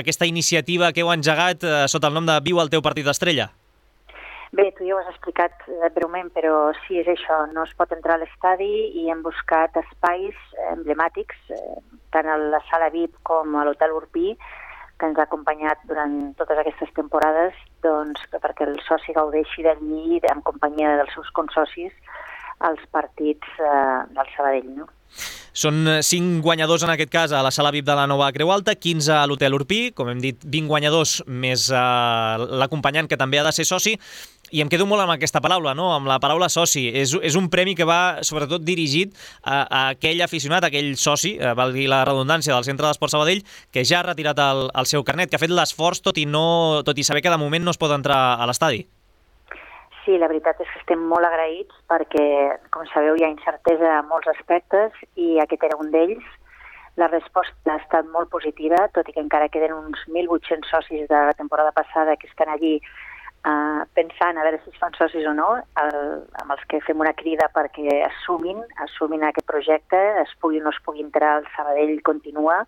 aquesta iniciativa que heu engegat eh, sota el nom de Viu al teu partit d'estrella. Bé, tu ja ho has explicat eh, breument, però sí, és això, no es pot entrar a l'estadi i hem buscat espais emblemàtics, eh, tant a la sala V I P com a l'Hotel Urpí, que ens ha acompanyat durant totes aquestes temporades, doncs, perquè el soci gaudeixi d'allí en companyia dels seus consocis als partits eh, del Sabadell, no? Són cinc guanyadors en aquest cas a la sala V I P de la Nova Creu Alta, quinze a l'Hotel Urpí, com hem dit, vint guanyadors més eh, l'acompanyant que també ha de ser soci, i em quedo molt amb aquesta paraula, no? Amb la paraula soci. És, és un premi que va sobretot dirigit a, a aquell aficionat, a aquell soci, eh, valgui la redundància, del Centre d'Esports Sabadell, que ja ha retirat el, el seu carnet, que ha fet l'esforç tot i no, tot i saber que de moment no es pot entrar a l'estadi. Sí, la veritat és que estem molt agraïts perquè, com sabeu, hi ha incertesa en molts aspectes i aquest era un d'ells. La resposta ha estat molt positiva, tot i que encara queden uns mil vuit-cents socis de la temporada passada que estan allí eh, pensant a veure si es fan socis o no, el, amb els que fem una crida perquè assumin, assumin aquest projecte, es pugui o no es pugui entrar, el Sabadell continua,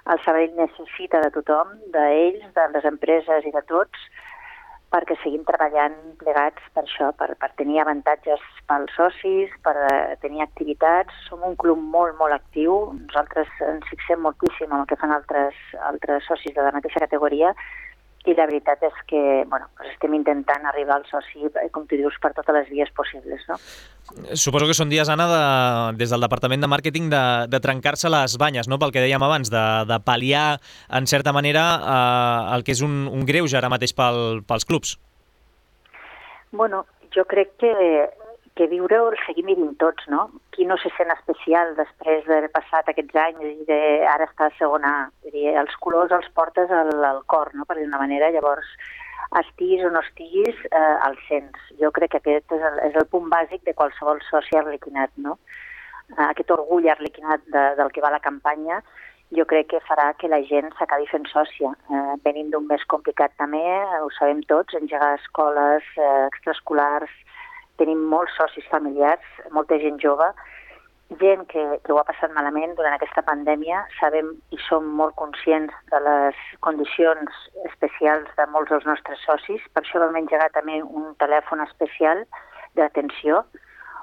el Sabadell necessita de tothom, d'ells, de les empreses i de tots, perquè seguim treballant plegats per això, per, per tenir avantatges pels socis, per tenir activitats. Som un club molt, molt actiu. Nosaltres ens fixem moltíssim en el que fan altres, altres socis de la mateixa categoria i la veritat és que bueno, doncs estem intentant arribar al soci, com tu dius, per totes les vies possibles, no? Suposo que són dies, Anna, de, des del Departament de Màrqueting de, de trencar-se les banyes, no? Pel que dèiem abans, de, de pal·liar, en certa manera, eh, el que és un, un greuge ara mateix pel, pels clubs. Bueno, jo crec que, que viure-ho el seguim vivint tots, no? Qui no se sent especial després d'haver passat aquests anys i de, ara està a segona A? Els colors els portes al, al cor, no? Per dir d'una manera, llavors estiguis o no estiguis, eh, el sents. Jo crec que aquest és el, és el punt bàsic de qualsevol soci arlequinat, no? Eh, aquest orgull arlequinat de, del que va la campanya, jo crec que farà que la gent s'acabi fent sòcia. Eh, venim d'un mes complicat també, ho sabem tots, engegar escoles, eh, extraescolars, tenim molts socis familiars, molta gent jove, gent que, que ho ha passat malament durant aquesta pandèmia. Sabem i som molt conscients de les condicions especials de molts dels nostres socis. Per això vam engegar també un telèfon especial d'atenció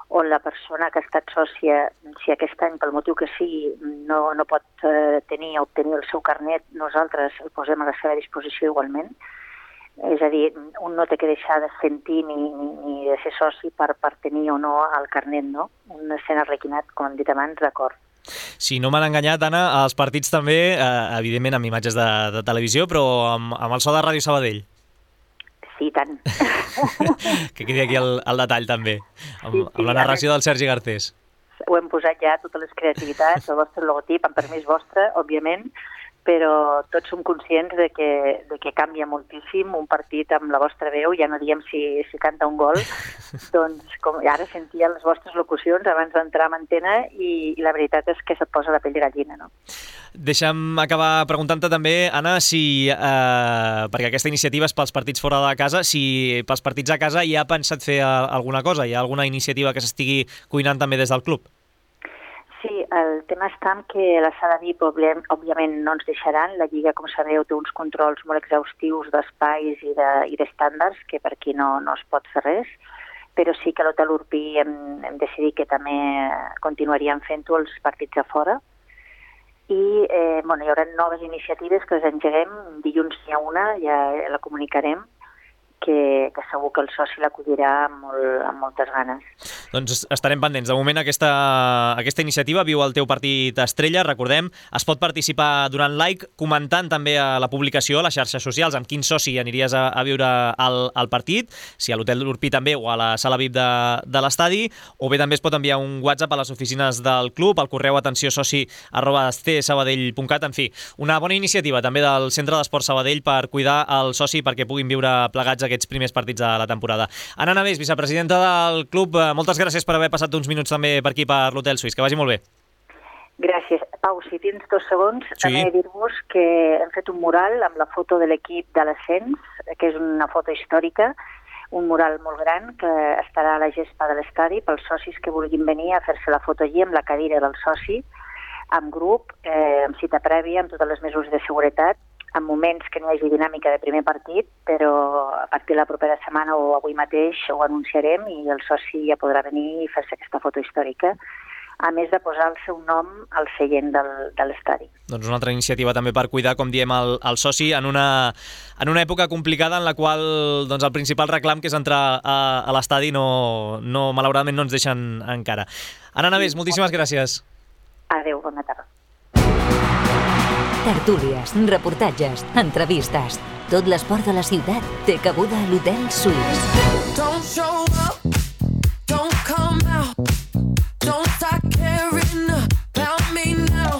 on la persona que ha estat sòcia, si aquest any, pel motiu que sigui, no, no pot eh, tenir o obtenir el seu carnet, nosaltres el posem a la seva disposició igualment. És a dir, un no té que deixar de sentir ni, ni, ni de ser soci per, per tenir o no el carnet, no? Un escena requinat, com hem dit abans, d'acord. Si no m'han enganyat, Anna, els partits també, eh, evidentment amb imatges de, de televisió, però amb, amb el so de Ràdio Sabadell. Sí, tant. Que quedi aquí el, el detall, també, amb, Sí, sí, amb la narració del Sergi Garcés. Ho hem posat ja, totes les creativitats, el vostre logotip, amb permís vostre, òbviament, però tots som conscients de que, de que canvia moltíssim un partit amb la vostra veu, ja no diem si, si canta un gol, doncs com ara sentia les vostres locucions abans d'entrar en antena i, i la veritat és que se't posa la pell de gallina, no? Deixa'm acabar preguntant-te també, Anna, si, eh, perquè aquesta iniciativa és pels partits fora de casa, si pels partits a casa hi ha pensat fer alguna cosa, hi ha alguna iniciativa que s'estigui cuinant també des del club? Sí, el tema està en que la sala V I P òbviament no ens deixaran. La Lliga, com sabeu, té uns controls molt exhaustius d'espais i d'estàndards, que per aquí no, no es pot fer res, però sí que a l'Hotel Urpí hem, hem decidit que també continuaríem fent-ho els partits a fora. I eh, bueno, hi haurà noves iniciatives que les engeguem. Dilluns n'hi ha una, ja la comunicarem, que, que segur que el soci l'acollirà amb, molt, amb moltes ganes. Doncs estarem pendents. De moment aquesta, aquesta iniciativa viu el teu partit estrella, recordem, es pot participar donant like, comentant també a la publicació a les xarxes socials amb quin soci aniries a, a viure al, al partit, si a l'Hotel Urpí també o a la sala V I P de, de l'estadi, o bé també es pot enviar un WhatsApp a les oficines del club, al correu atenció soci arroba c sabadell punt cat. En fi, una bona iniciativa també del Centre d'Esport Sabadell per cuidar el soci perquè puguin viure plegats aquests primers partits de la temporada. Anna Navés, vicepresidenta del club, moltes gràcies per haver passat uns minuts també per aquí per l'Hotel Suís. Que vagi molt bé. Gràcies. Pau, si tens dos segons, sí. També dir-vos que hem fet un mural amb la foto de l'equip de l'ascens, que és una foto històrica, un mural molt gran que estarà a la gespa de l'estadi pels socis que vulguin venir a fer-se la foto allí amb la cadira del soci, amb grup, eh, amb cita prèvia, amb totes les mesures de seguretat, en moments que no hi hagi dinàmica de primer partit, però a partir de la propera setmana o avui mateix ho anunciarem i el soci ja podrà venir i fer-se aquesta foto històrica, a més de posar el seu nom al seient del, de l'estadi. Doncs una altra iniciativa també per cuidar, com diem, el, el soci en una, en una època complicada en la qual doncs, el principal reclam, que és entrar a, a l'estadi, no, no, malauradament no ens deixen encara. Anna Navés, moltíssimes gràcies. Adéu, bona tarda. Tertúlies, reportatges, entrevistes. Tot l'esport de la ciutat té cabuda a l'Hotel Suís. Don't show up, don't come out, don't start caring about me now.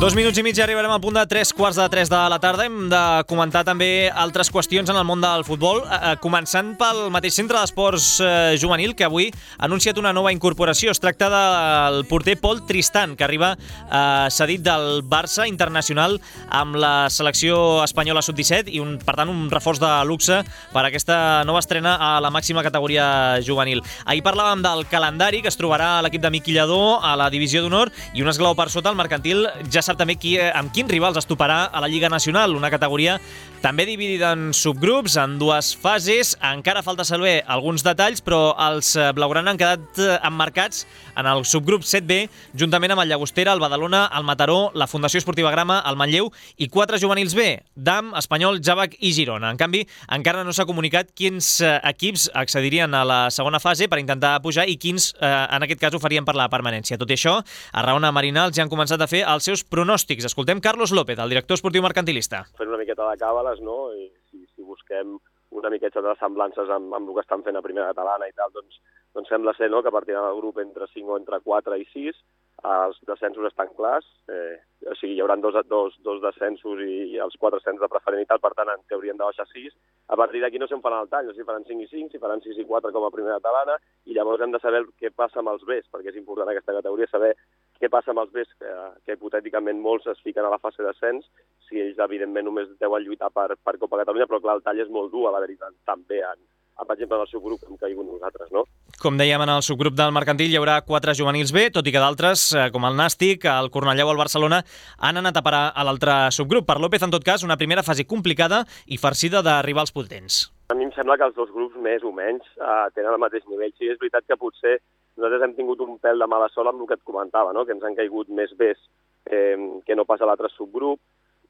Dos minuts i mig i arribarem al punt de tres quarts de tres de la tarda. Hem de comentar també altres qüestions en el món del futbol, eh, començant pel mateix Centre d'Esports eh, Juvenil, que avui ha anunciat una nova incorporació. Es tracta del porter Pol Tristan, que arriba eh, cedit del Barça internacional amb la selecció espanyola sub disset i, un, per tant, un reforç de luxe per aquesta nova estrena a la màxima categoria juvenil. Ahir parlàvem del calendari que es trobarà a l'equip de Miqui Lladó a la divisió d'honor i un esglaó per sota, el Mercantil ja sap també qui, amb quins rivals es toparà a la Lliga Nacional, una categoria també dividida en subgrups, en dues fases. Encara falta saber alguns detalls, però els blaugrana han quedat emmarcats en el subgrup set B, juntament amb el Llagostera, el Badalona, el Mataró, la Fundació Esportiva Grama, el Manlleu i quatre juvenils B, Dam, Espanyol, Jàvec i Girona. En canvi, encara no s'ha comunicat quins equips accedirien a la segona fase per intentar pujar i quins, eh, en aquest cas, ho farien per la permanència. Tot i això, a Raona Marinals ja han començat a fer els seus pronòstics. Escoltem Carlos López, el director esportiu mercantilista. Fent una miqueta de càbales, no? I si, si busquem una miqueta de semblances amb, amb el que estan fent a primera catalana i tal, doncs, doncs sembla ser, no?, que partiran del grup entre cinc o entre quatre i sis. Els descensos estan clars, eh, o sigui, hi haurà dos, dos, dos descensos i, i els quatre ascens de preferent i tal, per tant, en teoria han de baixar sis. A partir d'aquí no se'n faran el tall, si faran cinc i cinc, si faran sis i quatre com a primera catalana, i llavors hem de saber què passa amb els Bs, perquè és important aquesta categoria saber què passa amb els Bs, que, que hipotèticament molts es fiquen a la fase d'ascens, si ells evidentment només deuen lluitar per, per Copa Catalunya, però clar, el tall és molt dur, a la veritat, també en, per exemple, en el subgrup que hem caigut nosaltres, no? Com dèiem, en el subgrup del Mercantil hi haurà quatre juvenils B, tot i que d'altres, com el Nàstic, el Cornellà o el Barcelona, han anat a parar a l'altre subgrup. Per López, en tot cas, una primera fase complicada i farcida de rivals potents. A mi em sembla que els dos grups, més o menys, eh, tenen el mateix nivell. Sí, és veritat que potser nosaltres hem tingut un pèl de mala sort amb el que et comentava, no?, que ens han caigut més Bs eh, que no pas a l'altre subgrup,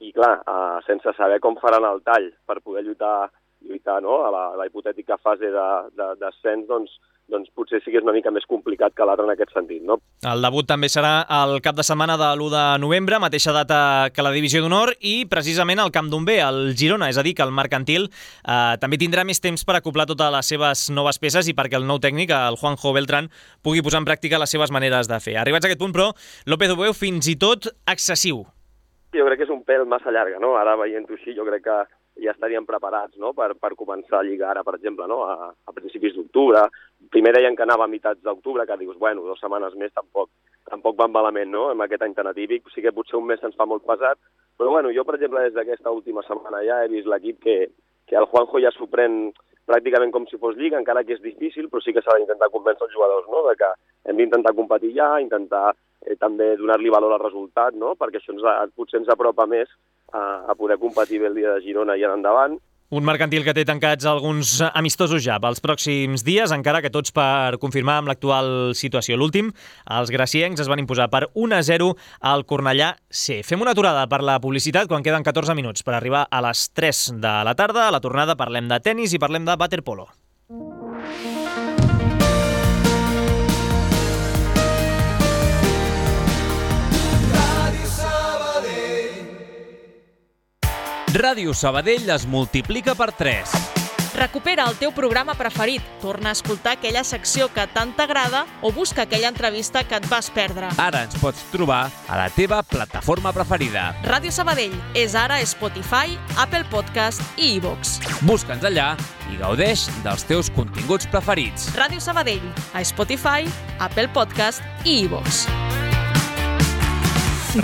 i clar, uh, sense saber com faran el tall per poder lluitar, lluitar no? a la, la hipotètica fase d'ascens, de, doncs, doncs potser sí que és una mica més complicat que l'altre en aquest sentit. No? El debut també serà el cap de setmana de l'u de novembre, mateixa data que la Divisió d'Honor, i precisament al Camp d'on ve, el Girona, és a dir, que el Mercantil eh, també tindrà més temps per acoplar totes les seves noves peces i perquè el nou tècnic, el Juanjo Beltrán, pugui posar en pràctica les seves maneres de fer. Arribats a aquest punt, però, López ho veu fins i tot excessiu. Jo crec que és un pèl massa llarga, no? Ara veient-ho així, jo crec que ja estaríem preparats, no? per, per començar a lligar ara, per exemple, no? a, a principis d'octubre. Primer deien que anava a meitats d'octubre, que dius, bueno, dues setmanes més tampoc, tampoc van malament, no?, amb aquest any tan atípic. Sí que potser un mes se'ns fa molt pesat, però bueno, jo, per exemple, des d'aquesta última setmana ja he vist l'equip que, que el Juanjo ja s'ho pren pràcticament com si fos lliga, encara que és difícil, però sí que s'ha d'intentar convèncer els jugadors, no?, de que hem d'intentar competir ja, intentar eh, també donar-li valor al resultat, no?, perquè això ens, potser ens apropa més a, a poder competir bé el dia de Girona i en endavant. Un Mercantil que té tancats alguns amistosos ja pels pròxims dies, encara que tots per confirmar amb l'actual situació. L'últim, els graciencs es van imposar per un a zero al Cornellà C. Fem una aturada per la publicitat quan queden catorze minuts per arribar a les tres de la tarda. A la tornada parlem de tennis i parlem de waterpolo. Ràdio Sabadell es multiplica per tres. Recupera el teu programa preferit, torna a escoltar aquella secció que tant t'agrada o busca aquella entrevista que et vas perdre. Ara ens pots trobar a la teva plataforma preferida. Ràdio Sabadell és ara Spotify, Apple Podcast i iVoox. Busca'ns allà i gaudeix dels teus continguts preferits. Ràdio Sabadell, a Spotify, Apple Podcast i iVoox.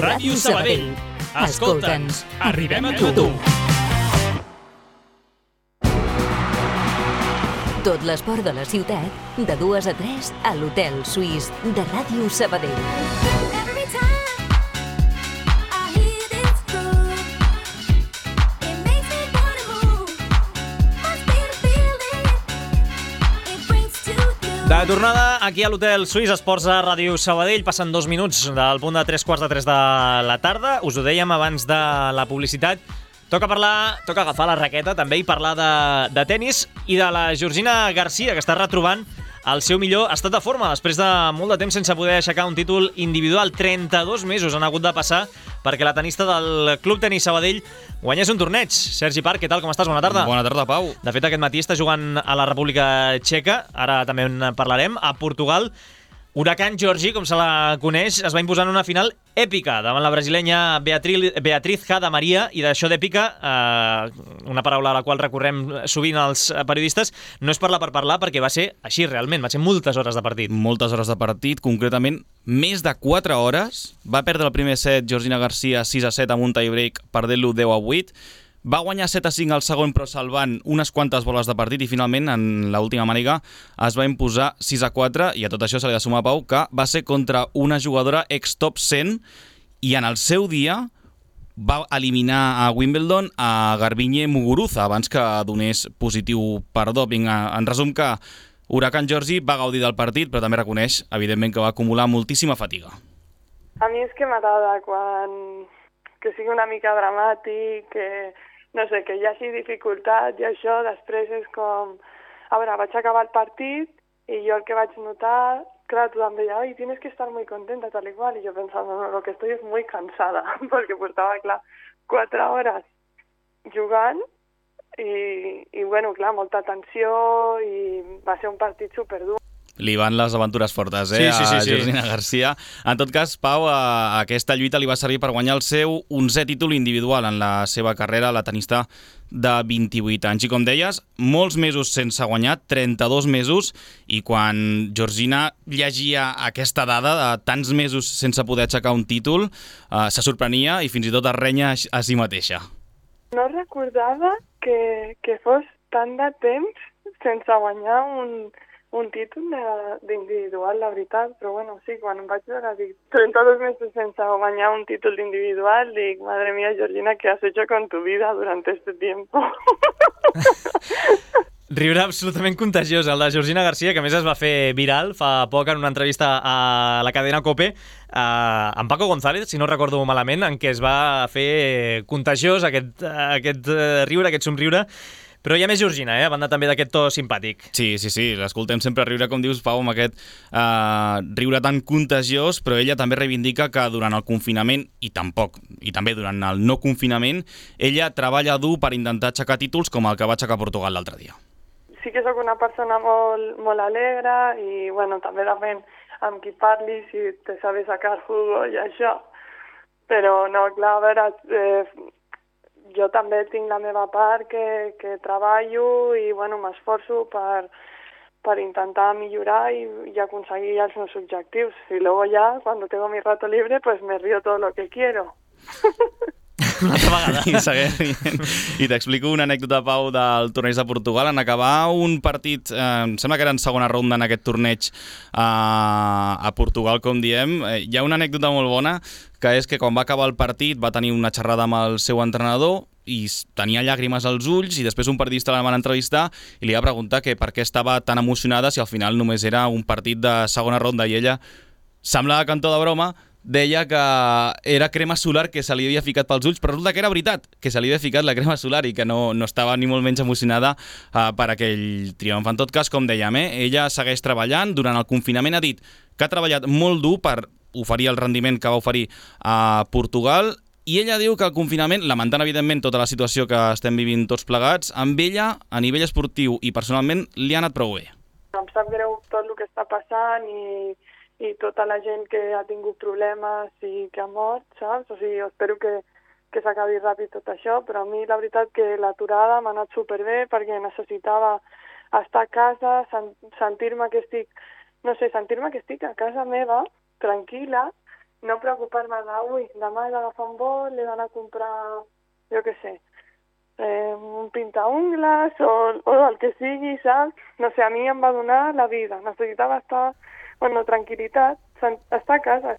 Ràdio Sabadell. Escolta'ns, arribem a tu. Tot l'esport de la ciutat, de dues a tres, a l'Hotel Suís de Ràdio Sabadell. De tornada aquí a l'Hotel Suís Esports a Ràdio Sabadell, passen dos minuts del punt de tres quarts de tres de la tarda. Us ho dèiem abans de la publicitat. Toca parlar, toca agafar la raqueta també i parlar de, de tennis i de la Georgina Garcia, que està retrobant el seu millor estat de forma després de molt de temps sense poder aixecar un títol individual. trenta-dos mesos han hagut de passar perquè la tenista del Club Tenis Sabadell guanyés un torneig. Sergi Parc, què tal, com estàs? Bona tarda. Bona tarda, Pau. De fet, aquest matí està jugant a la República Txeca, ara també en parlarem, a Portugal. Huracán Georgi, com se la coneix, es va imposar en una final èpica davant la brasilenya Beatriz, Beatriz Hada Maria, i d'això d'èpica, eh, una paraula a la qual recorrem sovint els periodistes, no és parlar per parlar, perquè va ser així realment, va ser moltes hores de partit. Moltes hores de partit, concretament més de quatre hores. Va perdre el primer set Georgina Garcia sis a set amb un tie-break, perdent-lo deu a vuit. Va guanyar set a cinc al segon, però salvant unes quantes boles de partit, i finalment, en l'última màniga, es va imposar sis a quatre, i a tot això se li ha de sumar, Pau, que va ser contra una jugadora ex-top cent, i en el seu dia va eliminar a Wimbledon a Garbiñe Muguruza, abans que donés positiu per doping. En resum, que Huracán Georgi va gaudir del partit, però també reconeix, evidentment, que va acumular moltíssima fatiga. A mi és que m'agrada quan... que sigui una mica dramàtic, que... no sé, que hi hagi dificultat i això després és com... A veure, vaig acabar el partit i jo el que vaig notar, clar, tothom deia, ai, tienes que estar muy contenta, tal i qual, i jo pensava, no, lo que estoy es muy cansada, perquè portava, clar, quatre hores jugant i, i bueno, clar, molta tensió i va ser un partit superdur. Li van les aventures fortes, eh, sí, sí, sí, a sí. Georgina Garcia. En tot cas, Pau, a aquesta lluita li va servir per guanyar el seu onzè títol individual en la seva carrera, la tenista de vint-i-vuit anys. I com deies, molts mesos sense guanyar, trenta-dos mesos, i quan Georgina llegia aquesta dada de tants mesos sense poder aixecar un títol, eh, se sorprenia i fins i tot es renya a si mateixa. No recordava que, que fos tant de temps sense guanyar un... un títol d'individual, la veritat, però bueno, sí, quan em vaig veure, dic, trenta-dos mesos sense guanyar un títol d'individual, dic, madre mía, Georgina, ¿qué has hecho con tu vida durante este tiempo? Riure absolutament contagiós, el de Georgina Garcia, que a més es va fer viral fa poc en una entrevista a la cadena COPE eh, amb Paco González, si no recordo malament, en què es va fer contagiós aquest, aquest riure, aquest somriure. Però hi ha més Georgina, eh? A banda també d'aquest to simpàtic. Sí, sí, sí, l'escoltem sempre riure, com dius, Pau, amb aquest eh, riure tan contagiós, però ella també reivindica que durant el confinament, i tampoc, i també durant el no confinament, ella treballa dur per intentar aixecar títols com el que va aixecar Portugal l'altre dia. Sí que sóc una persona molt, molt alegre i, bueno, també depèn amb qui parli, si te sabe sacar jugo i això. Però, no, clar, a veure... Eh, jo també tinc la meva part que, que treballo i bueno, m'esforço per, per intentar millorar i, i aconseguir els meus objectius. Y luego ya, cuando tengo mi rato libre, pues me río todo lo que quiero. Una altra vegada. I segueix rient. I t'explico una anècdota, Pau, del torneig de Portugal. En acabar un partit, eh, em sembla que era en segona ronda en aquest torneig eh, a Portugal, com diem, eh, hi ha una anècdota molt bona, que és que quan va acabar el partit va tenir una xerrada amb el seu entrenador i tenia llàgrimes als ulls, i després un periodista la van entrevistar i li va preguntar que per què estava tan emocionada si al final només era un partit de segona ronda, i ella, semblava que en to de broma, deia que era crema solar que se li havia ficat pels ulls, però resulta que era veritat, que se li havia ficat la crema solar i que no, no estava ni molt menys emocionada uh, per aquell triomf. En tot cas, com dèiem, eh, ella segueix treballant. Durant el confinament ha dit que ha treballat molt dur per oferir el rendiment que va oferir a Portugal, i ella diu que el confinament, lamentant evidentment tota la situació que estem vivint tots plegats, amb ella, a nivell esportiu i personalment, li ha anat prou bé. Em sap greu tot el que està passant i i tota la gent que ha tingut problemes i que ha mort, saps? O sigui, espero que, que s'acabi ràpid tot això, però a mi la veritat que l'aturada m'ha anat superbé perquè necessitava estar a casa, sentir-me que estic, no sé, sentir-me que estic a casa meva, tranquil·la, no preocupar-me de, ui, demà he d'agafar un vol, he d'anar a comprar, jo què sé, eh, un pintaungles o, o el que sigui, saps? No sé, a mi em va donar la vida, necessitava estar... Bueno, tranquil·litat, està a casa.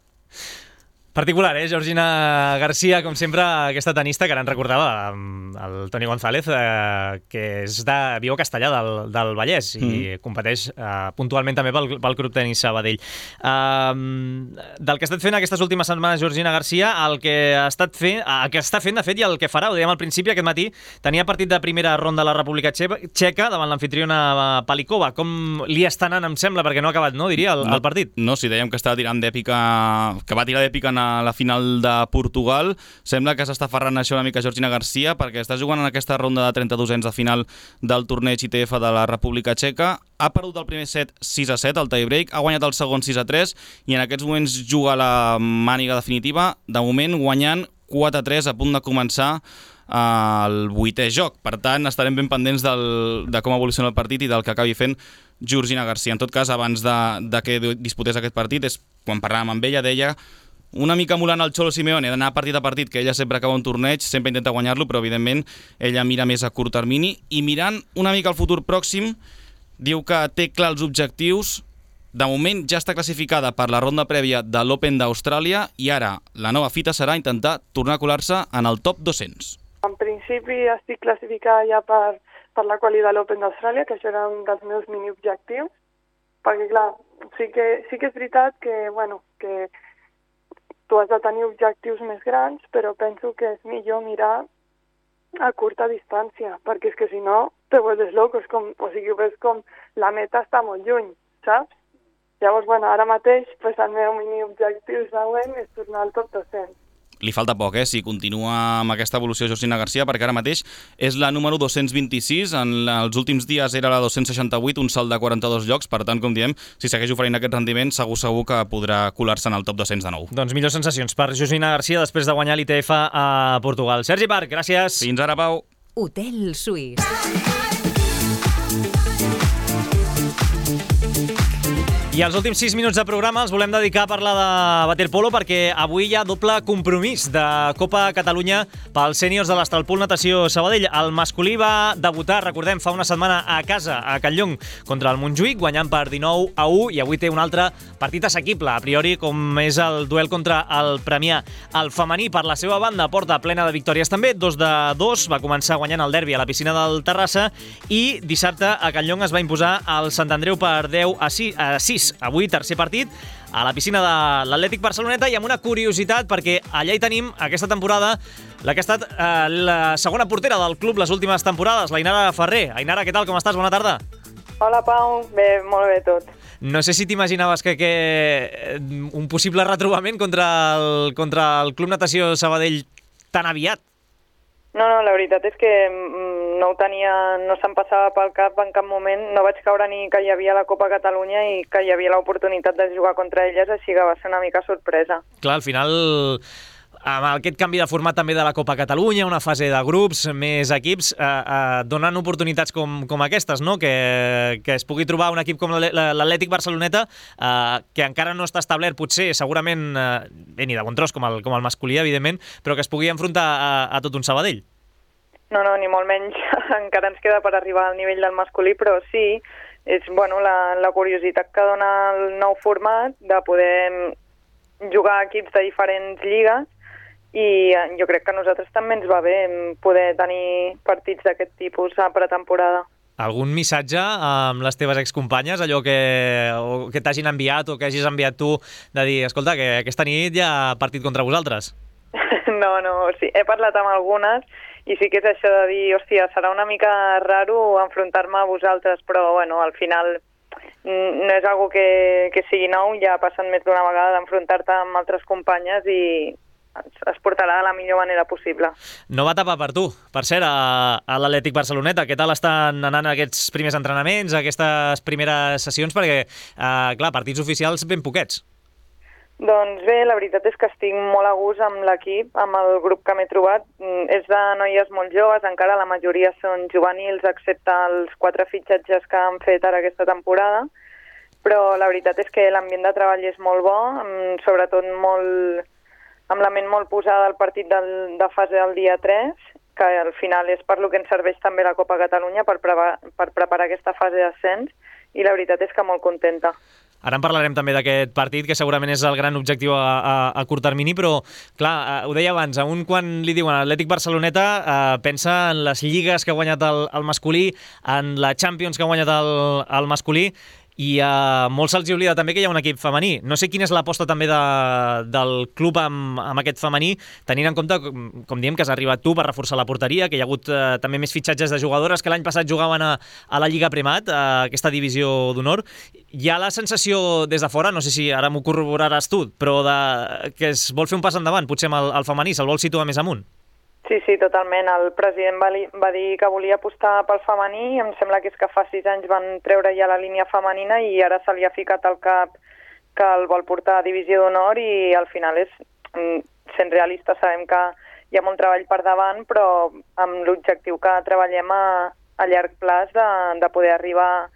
Particular, eh? Georgina Garcia, com sempre, aquesta tenista que ara ens recordava el Toni González, eh, que és de viu a Castellà del, del Vallès i mm. competeix eh, puntualment també pel, pel Club Tenis Sabadell. Um, del que ha estat fent aquestes últimes setmanes Georgina Garcia, el que ha estat fent, el que està fent, de fet, i el que farà, ho dèiem al principi, aquest matí, tenia partit de primera ronda a la República Txeca davant l'anfitriona Palikova. Com li està anant, em sembla, perquè no ha acabat, no, diria, el, no, el partit? No, si dèiem que estava tirant d'èpica, que va tirar d'èpica en la final de Portugal, sembla que s'està aferrant això una mica Georgina Garcia, perquè està jugant en aquesta ronda de trenta-dosens de final del torneig I T F de la República Txeca. Ha perdut el primer set sis a set, el tiebreak, ha guanyat el segon sis a tres i en aquests moments juga la màniga definitiva, de moment guanyant quatre a tres, a punt de començar el vuitè joc. Per tant, estarem ben pendents del, de com evoluciona el partit i del que acabi fent Georgina Garcia. En tot cas, abans de, de que disputés aquest partit, és quan parlàvem amb ella, deia una mica emulant el Cholo Simeone, d'anar partit a partit, que ella sempre acaba un torneig, sempre intenta guanyar-lo, però evidentment ella mira més a curt termini, i mirant una mica al futur pròxim, diu que té clar els objectius. De moment ja està classificada per la ronda prèvia de l'Open d'Austràlia i ara la nova fita serà intentar tornar a colar-se en el top dos-cents. En principi estic classificada ja per, per la quali de l'Open d'Austràlia, que això era un dels meus mini-objectius, perquè clar, sí que, sí que és veritat que, bueno, que tu has de tenir objectius més grans, però penso que és millor mirar a curta distància, perquè és que si no te vuelves loco, és com, o sigui, ves com la meta està molt lluny, saps? Llavors, bueno, ara mateix pues, el meu mini objectiu següent és tornar al top dos-cents. Li falta poc, eh, si continua amb aquesta evolució Georgina Garcia, perquè ara mateix és la número dos-cents vint-i-sis, en els últims dies era la dos-cents seixanta-vuit, un salt de quaranta-dos llocs, per tant, com diem, si segueix oferint aquest rendiment, segur segur que podrà colar-se en el top dos-cents de nou. Doncs millors sensacions per Georgina Garcia després de guanyar l'I T F a Portugal. Sergi Parc, gràcies. Fins ara, Pau. Hotel Suís. I els últims sis minuts de programa els volem dedicar a parlar de waterpolo perquè avui hi ha doble compromís de Copa Catalunya pels sèniors de l'Estralpool Natació Sabadell. El masculí va debutar, recordem, fa una setmana a casa, a Catlllong, contra el Montjuïc, guanyant per dinou a u, i avui té un altre partit assequible, a priori, com és el duel contra el Premià. El femení, per la seva banda, porta plena de victòries també, dos de dos, va començar guanyant el derbi a la piscina del Terrassa, i dissabte a Catlllong es va imposar el Sant Andreu per deu a sis. Avui, tercer partit, a la piscina de l'Atlètic Barceloneta, i amb una curiositat, perquè allà hi tenim, aquesta temporada, la que ha estat eh, la segona portera del club les últimes temporades, l'Ainara Ferrer. Ainara, què tal, com estàs? Bona tarda. Hola, Pau. Bé, molt bé tot. No sé si t'imaginaves que, que un possible retrobament contra el, contra el Club Natació Sabadell tan aviat. No, no, la veritat és que no ho tenia, no se'm passava pel cap en cap moment, no vaig caure ni que hi havia la Copa Catalunya i que hi havia l'oportunitat de jugar contra elles, així que va ser una mica sorpresa. Clar, al final, amb aquest canvi de format també de la Copa Catalunya, una fase de grups, més equips, eh, eh, donen oportunitats com, com aquestes, no? Que, que es pugui trobar un equip com l'Atlètic Barceloneta, eh, que encara no està establert, potser, segurament, eh, bé, ni de bon tros com el, com el masculí, evidentment, però que es pugui enfrontar a, a tot un Sabadell. No, no, ni molt menys. Encara ens queda per arribar al nivell del masculí, però sí, és bueno, la, la curiositat que dona el nou format de poder jugar equips de diferents lligues, i jo crec que a nosaltres també ens va bé poder tenir partits d'aquest tipus a pretemporada. Algun missatge amb les teves excompanyes, allò que, o que t'hagin enviat o que hagis enviat tu, de dir, escolta, que aquesta nit hi ha partit contra vosaltres? No, no, sí, he parlat amb algunes i sí que és això de dir, hòstia, serà una mica raro enfrontar-me a vosaltres, però bueno, al final no és algo que, que sigui nou, ja ha passat més d'una vegada d'enfrontar-te amb altres companyes i es portarà de la millor manera possible. No va tapar per tu, per cert, a, a l'Atlètic Barceloneta. Què tal estan anant aquests primers entrenaments, aquestes primeres sessions? Perquè, eh, clar, partits oficials ben poquets. Doncs bé, la veritat és que estic molt a gust amb l'equip, amb el grup que m'he trobat. És de noies molt joves, encara la majoria són juvenils, excepte els quatre fitxatges que han fet ara aquesta temporada, però la veritat és que l'ambient de treball és molt bo, sobretot molt, amb la ment molt posada al partit del, de fase del dia tres, que al final és per lo que ens serveix també la Copa Catalunya per, preparar, per preparar aquesta fase d'ascens, i la veritat és que molt contenta. Ara en parlarem també d'aquest partit, que segurament és el gran objectiu a, a, a curt termini, però, clar, ho deia abans, a un quan li diuen Atlètic Barceloneta, eh, pensa en les lligues que ha guanyat el, el masculí, en la Champions que ha guanyat el, el masculí, i a molts se'ls oblida també que hi ha un equip femení. No sé quina és l'aposta també de, del club amb, amb aquest femení, tenint en compte, com, com diem, que has arribat tu per reforçar la porteria, que hi ha hagut eh, també més fitxatges de jugadores que l'any passat jugaven a, a la Lliga Primat, a aquesta divisió d'honor. Hi ha la sensació des de fora, no sé si ara m'ho corroboraràs tu, però de, que es vol fer un pas endavant, potser amb el, el femení, se'l vol situar més amunt. Sí, sí, totalment. El president va, li, va dir que volia apostar pel femení, em sembla que és que fa sis anys van treure ja la línia femenina i ara se li ha ficat al cap que el vol portar a divisió d'honor, i al final és, sent realista, sabem que hi ha molt treball per davant, però amb l'objectiu que treballem a, a llarg plaç de, de poder arribar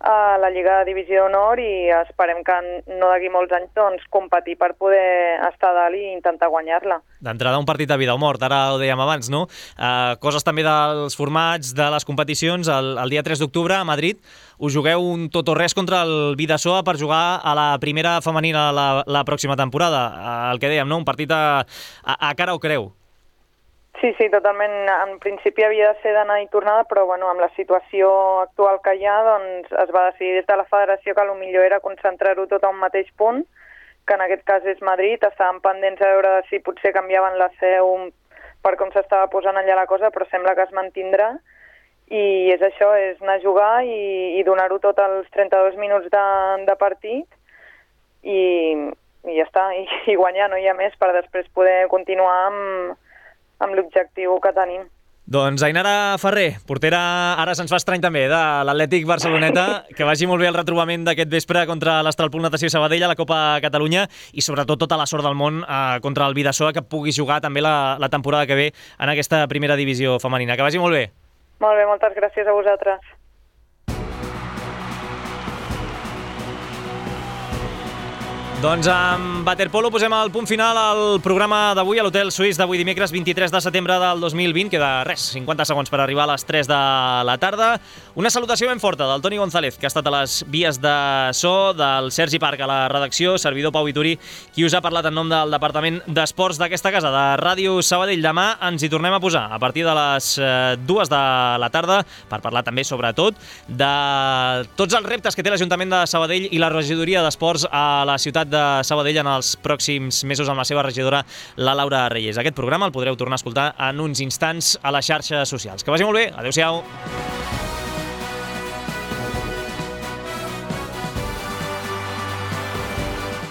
a la Lliga de Divisió d'Honor, i esperem que no d'aquí molts anys doncs, competir per poder estar a dalt i intentar guanyar-la. D'entrada un partit de vida o mort, ara ho dèiem abans, no? Uh, coses també dels formats, de les competicions. El, el dia tres d'octubre a Madrid us jugueu un tot o res contra el Bidasoa per jugar a la primera femenina la, la pròxima temporada. Uh, el que dèiem, no? Un partit a, a, a cara o creu. Sí, sí, totalment. En principi havia de ser d'anar i tornada, però bueno, amb la situació actual que hi ha, doncs es va decidir des de la federació que el millor era concentrar-ho tot a un mateix punt, que en aquest cas és Madrid. Estàvem pendents a veure si potser canviaven la seu per com s'estava posant allà la cosa, però sembla que es mantindrà. I és això, és anar a jugar i, i donar-ho tot als trenta-dos minuts de, de partit i, i ja està, i, i guanyar, no hi ha més, per després poder continuar amb amb l'objectiu que tenim. Doncs Ainara Ferrer, portera, ara se'ns fa estrany també, de l'Atlètic Barceloneta, que vagi molt bé el retrobament d'aquest vespre contra l'Estralpool Natació Sabadell a la Copa Catalunya, i sobretot tota la sort del món eh, contra el Bidasoa, que pugui jugar també la, la temporada que ve en aquesta primera divisió femenina. Que vagi molt bé. Molt bé, moltes gràcies a vosaltres. Doncs amb waterpolo posem el punt final al programa d'avui a l'Hotel Suís d'avui dimecres vint-i-tres de setembre del dos mil vint. Queda res, cinquanta segons per arribar a les tres de la tarda. Una salutació ben forta del Toni González, que ha estat a les vies de so, del Sergi Parc a la redacció, servidor Pau Vituri, qui us ha parlat en nom del Departament d'Esports d'aquesta casa, de Ràdio Sabadell. Demà ens hi tornem a posar a partir de les dues de la tarda per parlar també, sobretot, de tots els reptes que té l'Ajuntament de Sabadell i la regidoria d'Esports a la ciutat de Sabadell en els pròxims mesos amb la seva regidora, la Laura Reyes. Aquest programa el podreu tornar a escoltar en uns instants a les xarxes socials. Que vagi molt bé, adeu-siau.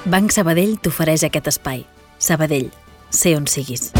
Banc Sabadell t'ofereix aquest espai. Sabadell, sé on siguis.